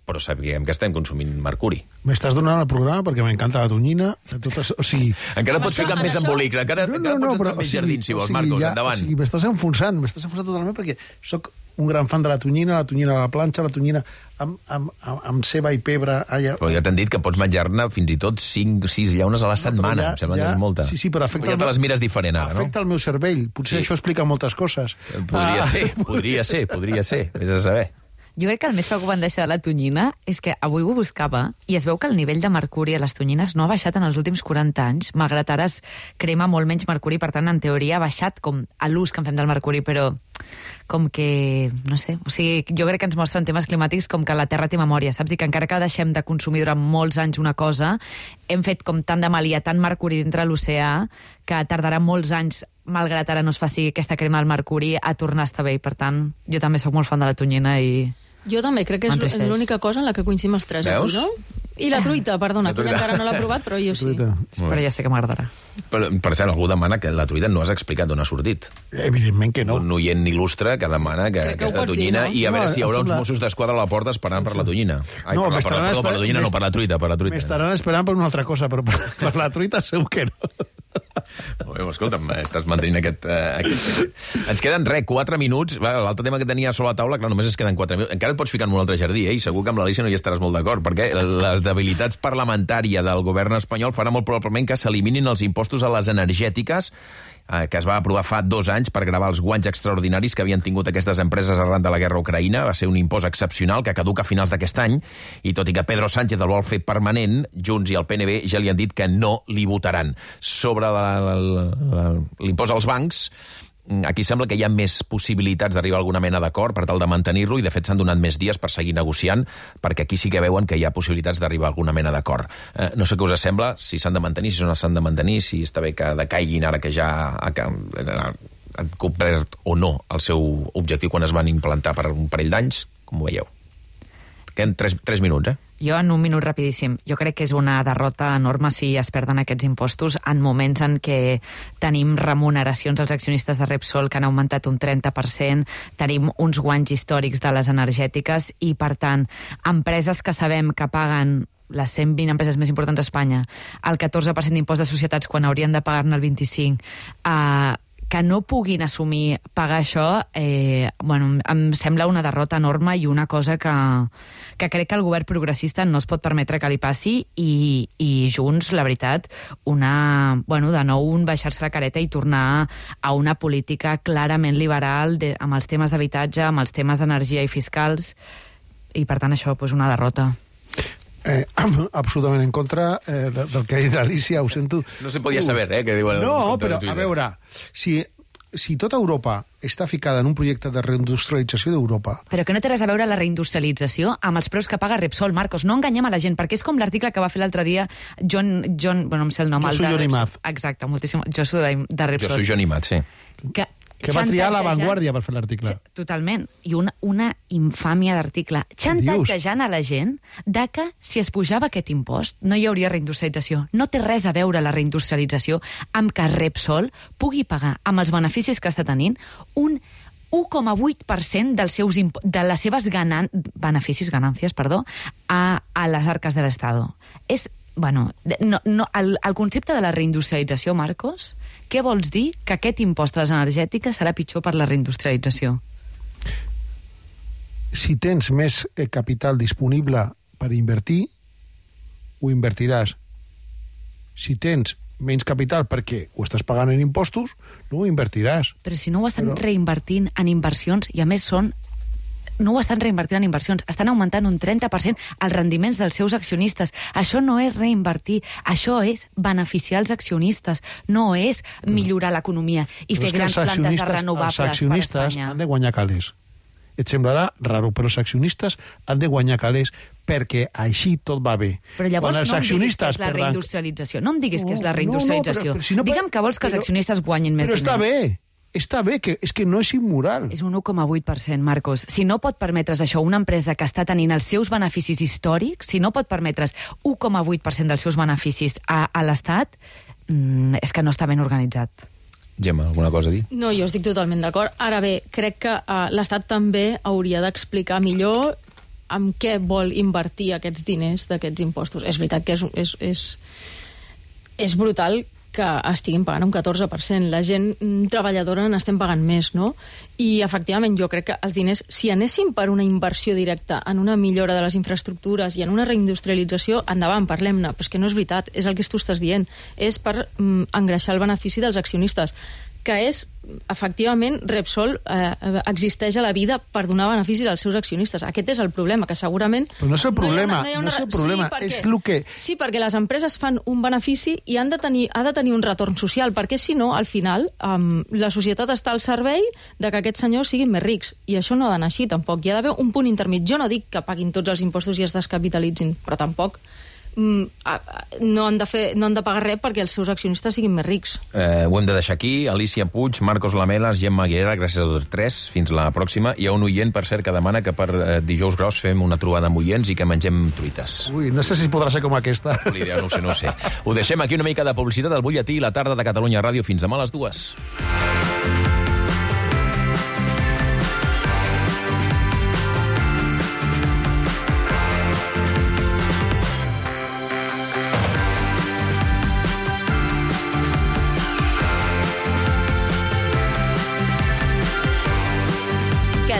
però sabíem que estem consumint mercuri.
M'estàs donant el programa perquè m'encanta la tonyina. Totes, o sigui...
Encara pots ficar més embolics, encara, no, no, encara no, pots entrar no, més jardins, si vols, o sigui, Marcos, ja, endavant.
O sigui, m'estàs enfonsant, m'estàs enfonsant totalment perquè soc un gran fan de la tonyina, la tonyina a la planxa, la tonyina amb, amb, amb, amb ceba i pebre. Allà.
Però ja t'han dit que pots menjar-ne fins i tot cinc sis llaunes a la setmana. No, ja, em sembla ja, que és molta.
Sí, sí, però afecta...
Ja te les mires diferent ara, no?
Afecta el meu cervell. Potser sí. Això explica moltes coses.
Podria ah. ser, podria ser, podria ser. Vés a saber.
Jo crec que el més preocupant d'això de la tonyina és que avui ho buscava i es veu que el nivell de mercuri a les tonyines no ha baixat en els últims quaranta anys, malgrat ara es crema molt menys mercuri, per tant, en teoria ha baixat com a l'ús que en fem del mercuri, però com que, no sé, o sigui, jo crec que ens mostren temes climàtics com que la Terra té memòria, saps? I que encara que deixem de consumir durant molts anys una cosa, hem fet com tant de mal, hi ha tant mercuri dintre l'oceà que tardarà molts anys, malgrat ara no es faci aquesta crema del mercuri, a tornar a estar bé. I, per tant, jo també sóc molt fan de la tonyina i...
Jo també, crec que és l'única cosa en la que coincidim els tres. Veus? Aquí, no? I la truita, perdona, la truita. Que encara no l'ha provat, però jo sí.
Però ja sé que m'agradarà.
Per, per cert, algú demana que la truita no has explicat d'on ha sortit.
Evidentment que no.
Un oient il·lustre que demana que crec aquesta que tonyina dir, no? I a veure no, si hi haurà uns Mossos d'Esquadra a la porta esperant per la tonyina. Ai,
no,
per, la, per, la, per la tonyina, no, per la truita, per la truita.
M'estaran esperant per una altra cosa, però per, per la truita segur que no.
Bé, escolta'm, estàs mantenint aquest, uh, aquest... Ens queden, res, quatre minuts. L'altre tema que tenia sobre la taula, clar, només es queden quatre minuts. Encara et pots ficar en un altre jardí, eh? I segur que amb l'Alícia no hi estaràs molt d'acord, perquè les debilitats parlamentàries del govern espanyol faran molt probablement que s'eliminin els impostos a les energètiques eh, que es va aprovar fa dos anys per gravar els guanys extraordinaris que havien tingut aquestes empreses arran de la guerra a Ucraïna. Va ser un impost excepcional que caduca a finals d'aquest any, i tot i que Pedro Sánchez el vol fer permanent, Junts i el P N B ja li han dit que no li votaran. Sobre l'impost als bancs, aquí sembla que hi ha més possibilitats d'arribar a alguna mena d'acord per tal de mantenir-lo, i de fet s'han donat més dies per seguir negociant, perquè aquí sí que veuen que hi ha possibilitats d'arribar a alguna mena d'acord. Eh, no sé què us sembla, si s'han de mantenir, si no s'han de mantenir, si està bé que decaiguin ara que ja han complert o no el seu objectiu quan es van implantar per un parell d'anys, com ho veieu? Queden tres, tres minuts, eh?
Jo, en un minut rapidíssim, jo crec que és una derrota enorme si es perden aquests impostos en moments en què tenim remuneracions als accionistes de Repsol que han augmentat un trenta per cent, tenim uns guanys històrics de les energètiques i, per tant, empreses que sabem que paguen les cent vint empreses més importants d'Espanya el catorze per cent d'impost de societats quan haurien de pagar-ne el vint-i-cinc per cent, eh, que no puguin assumir pagar això, eh, bueno, em sembla una derrota enorme i una cosa que, que crec que el govern progressista no es pot permetre que li passi, i, i Junts, la veritat, una, bueno, de nou un baixar-se la careta i tornar a una política clarament liberal de, amb els temes d'habitatge, amb els temes d'energia i fiscals, i per tant això, pues, una derrota.
Eh, absolutament en contra eh, de, del que ha dit Alicia, ho sento.
No se podia saber, eh, que diuen...
No, però, a veure, si, si tota Europa està ficada en un projecte de reindustrialització d'Europa...
Però que no té res a veure la reindustrialització amb els preus que paga Repsol, Marcos. No enganyem a la gent, perquè és com l'article que va fer l'altre dia John... John bueno, no em sé el nom.
Jo soy Johnny Maz.
Exacte, moltíssim. Jo soy de, de Repsol.
Jo soy Johnny Maz, sí.
Que...
Que va triar La Vanguardia per fer l'article.
Totalment. I una, una infàmia d'article. Xantatjejant a la gent de que si es pujava aquest impost no hi hauria reindustrialització. No té res a veure la reindustrialització amb que Repsol pugui pagar amb els beneficis que està tenint un u coma vuit per cent dels seus imp- de les seves ganan- beneficis, ganàncies, perdó, a, a les arques de l'Estado. És, bueno, no, no, el, el concepte de la reindustrialització, Marcos, què vols dir que aquest impost a les energètiques serà pitjor per la reindustrialització?
Si tens més eh, capital disponible per invertir, ho invertiràs. Si tens menys capital perquè ho estàs pagant en impostos, no ho invertiràs.
Però si no ho estan
Però...
reinvertint en inversions, i a més són... no ho estan reinvertint en inversions, estan augmentant un trenta per cent els rendiments dels seus accionistes. Això no és reinvertir, això és beneficiar els accionistes, no és millorar l'economia i fer grans plantes de renovables per Espanya.
Els accionistes han de guanyar calés. Et semblarà raro, però els accionistes han de guanyar calés perquè així tot va bé.
Però llavors
els
no em diguis que és la
perdan...
reindustrialització. No em diguis que és la reindustrialització.
No, no, però, però si no,
Digue'm que vols que els
però,
accionistes guanyin més
però
diners.
Però està bé, està bé, que, és que no és immoral.
És un u coma vuit per cent, Marcos. Si no pot permetre's això, una empresa que està tenint els seus beneficis històrics, si no pot permetre's u coma vuit per cent dels seus beneficis a, a l'Estat, mmm, és que no està ben organitzat.
Gemma, alguna cosa a dir?
No, jo estic totalment d'acord. Ara bé, crec que uh, l'Estat també hauria d'explicar millor amb què vol invertir aquests diners d'aquests impostos. És veritat que és, és, és, és brutal que estiguin pagant un catorze per cent. La gent treballadora n'estem pagant més, no? I, efectivament, jo crec que els diners, si anessin per una inversió directa en una millora de les infraestructures i en una reindustrialització, endavant, parlem-ne. Però és que no és veritat, és el que tu estàs dient. És per mm, engreixar el benefici dels accionistes, que és, efectivament, Repsol eh, existeix a la vida per donar beneficis als seus accionistes. Aquest és el problema, que segurament...
Però no és el problema, no,
hi ha una, no, hi ha una...
no és el problema,
sí, perquè,
és el que...
Sí, perquè les empreses fan un benefici i han de tenir, ha de tenir un retorn social, perquè si no, al final, um, la societat està al servei de que aquests senyors siguin més rics. I això no ha d'anar així, tampoc. Hi ha d'haver un punt intermig. Jo no dic que paguin tots els impostos i es descapitalitzin, però tampoc no han de fer, no han de pagar res perquè els seus accionistes siguin més rics.
Eh, ho hem de deixar aquí. Alicia Puig, Marcos Lamelas, Gemma Aguilera, gràcies a tots tres. Fins la pròxima. Hi ha un oient, per cert, que demana que per eh, dijous gros fem una trobada amb oients i que mengem truites.
Ui, no sé si podrà ser com aquesta.
Idea, no ho sé, no ho sé. Ho deixem aquí, una mica de publicitat al butlletí i la tarda de Catalunya Ràdio fins demà a les dues.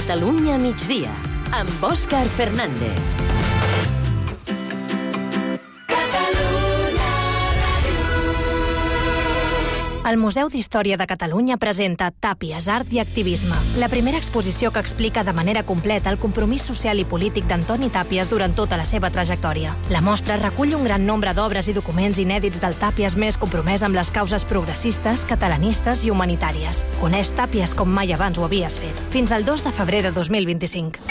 Catalunya migdia, amb Òscar Fernández.
El Museu d'Història de Catalunya presenta Tàpies, art i activisme, la primera exposició que explica de manera completa el compromís social i polític d'Antoni Tàpies durant tota la seva trajectòria. La mostra recull un gran nombre d'obres i documents inèdits del Tàpies més compromès amb les causes progressistes, catalanistes i humanitàries. Coneix Tàpies com mai abans ho havies fet. Fins al dos de febrer de dos mil vint-i-cinc.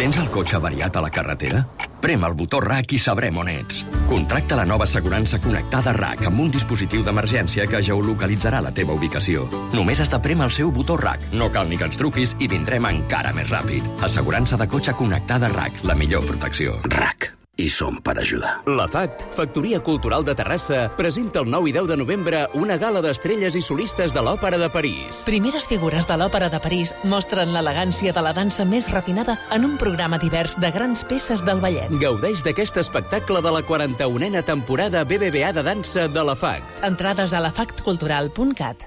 Tens el cotxe avariat a la carretera? Prem el botó R A C i sabrem on ets. Contracta la nova assegurança connectada R A C amb un dispositiu d'emergència que geolocalitzarà la teva ubicació. Només has de prémer el seu botó R A C. No cal ni que ens truquis i vindrem encara més ràpid. Assegurança de cotxe connectada R A C, la millor protecció.
R A C. I som per ajudar.
La F A C, Factoria Cultural de Terrassa, presenta el nou i deu de novembre una gala d'estrelles i solistes de l'Òpera de París.
Primeres figures de l'Òpera de París mostren l'elegància de la dansa més refinada en un programa divers de grans peces del ballet.
Gaudeix d'aquest espectacle de la quaranta-unena temporada B B V A de dansa de la F A C.
Entrades a la factcultural punt cat.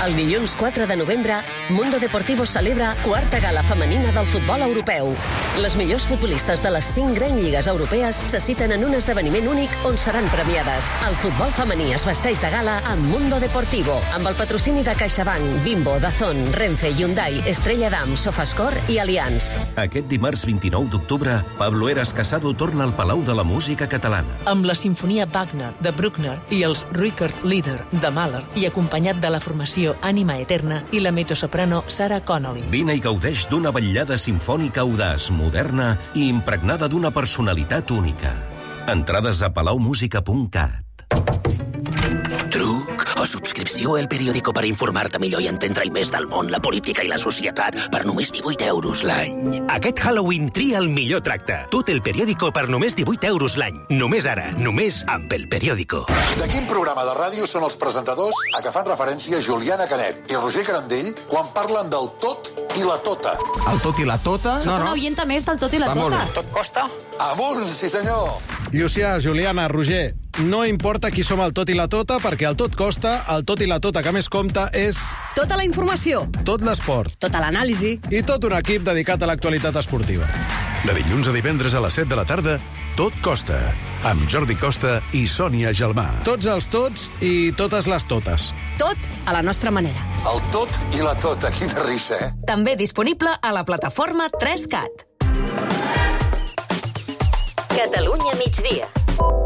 El dilluns quatre de novembre, Mundo Deportivo celebra quarta gala femenina del futbol europeu. Les millors futbolistes de les cinc grans lligues europees se citen en un esdeveniment únic on seran premiades. El futbol femení es vesteix de gala amb Mundo Deportivo, amb el patrocini de CaixaBank, Bimbo, Dazón, Renfe, Hyundai, Estrella Damm, Sofascor i Allianz.
Aquest dimarts vint-i-nou d'octubre, Pablo Eras Casado torna al Palau de la Música Catalana.
Amb la Sinfonia Wagner de Bruckner i els Rückert Lieder de Mahler i acompanyat de la formació Ànima Eterna i la mezzosoprano Sarah Connolly.
Vine i gaudeix d'una vetllada simfònica audaç, moderna i impregnada d'una personalitat única. Entrades a palau música punt cat.
Truc
o subscripció al periòdico per informar-te millor i entendre-hi més del món, la política i la societat per només divuit euros l'any.
Aquest Halloween tria el millor tracte. Tot el periòdico per només divuit euros l'any. Només ara, només amb el periòdico.
De quin programa de ràdio són els presentadors a què fan referència Juliana Canet i Roger Carandell quan parlen del tot i la tota?
El tot i la tota?
Soc una oienta més del tot i la tota.
Tot costa? Amunt, sí senyor!
Llucià, Juliana, Roger, no importa qui som el tot i la tota, perquè el tot costa, el tot i la tota que més compta és...
Tota la informació.
Tot l'esport.
Tota l'anàlisi.
I tot un equip dedicat a l'actualitat esportiva.
De dilluns a divendres a les set de la tarda, Tot Costa, amb Jordi Costa i Sònia Gelmà.
Tots els tots i totes les totes.
Tot a la nostra manera.
El tot i la tota, quina risa, eh?
També disponible a la plataforma tres cat.
Catalunya migdia.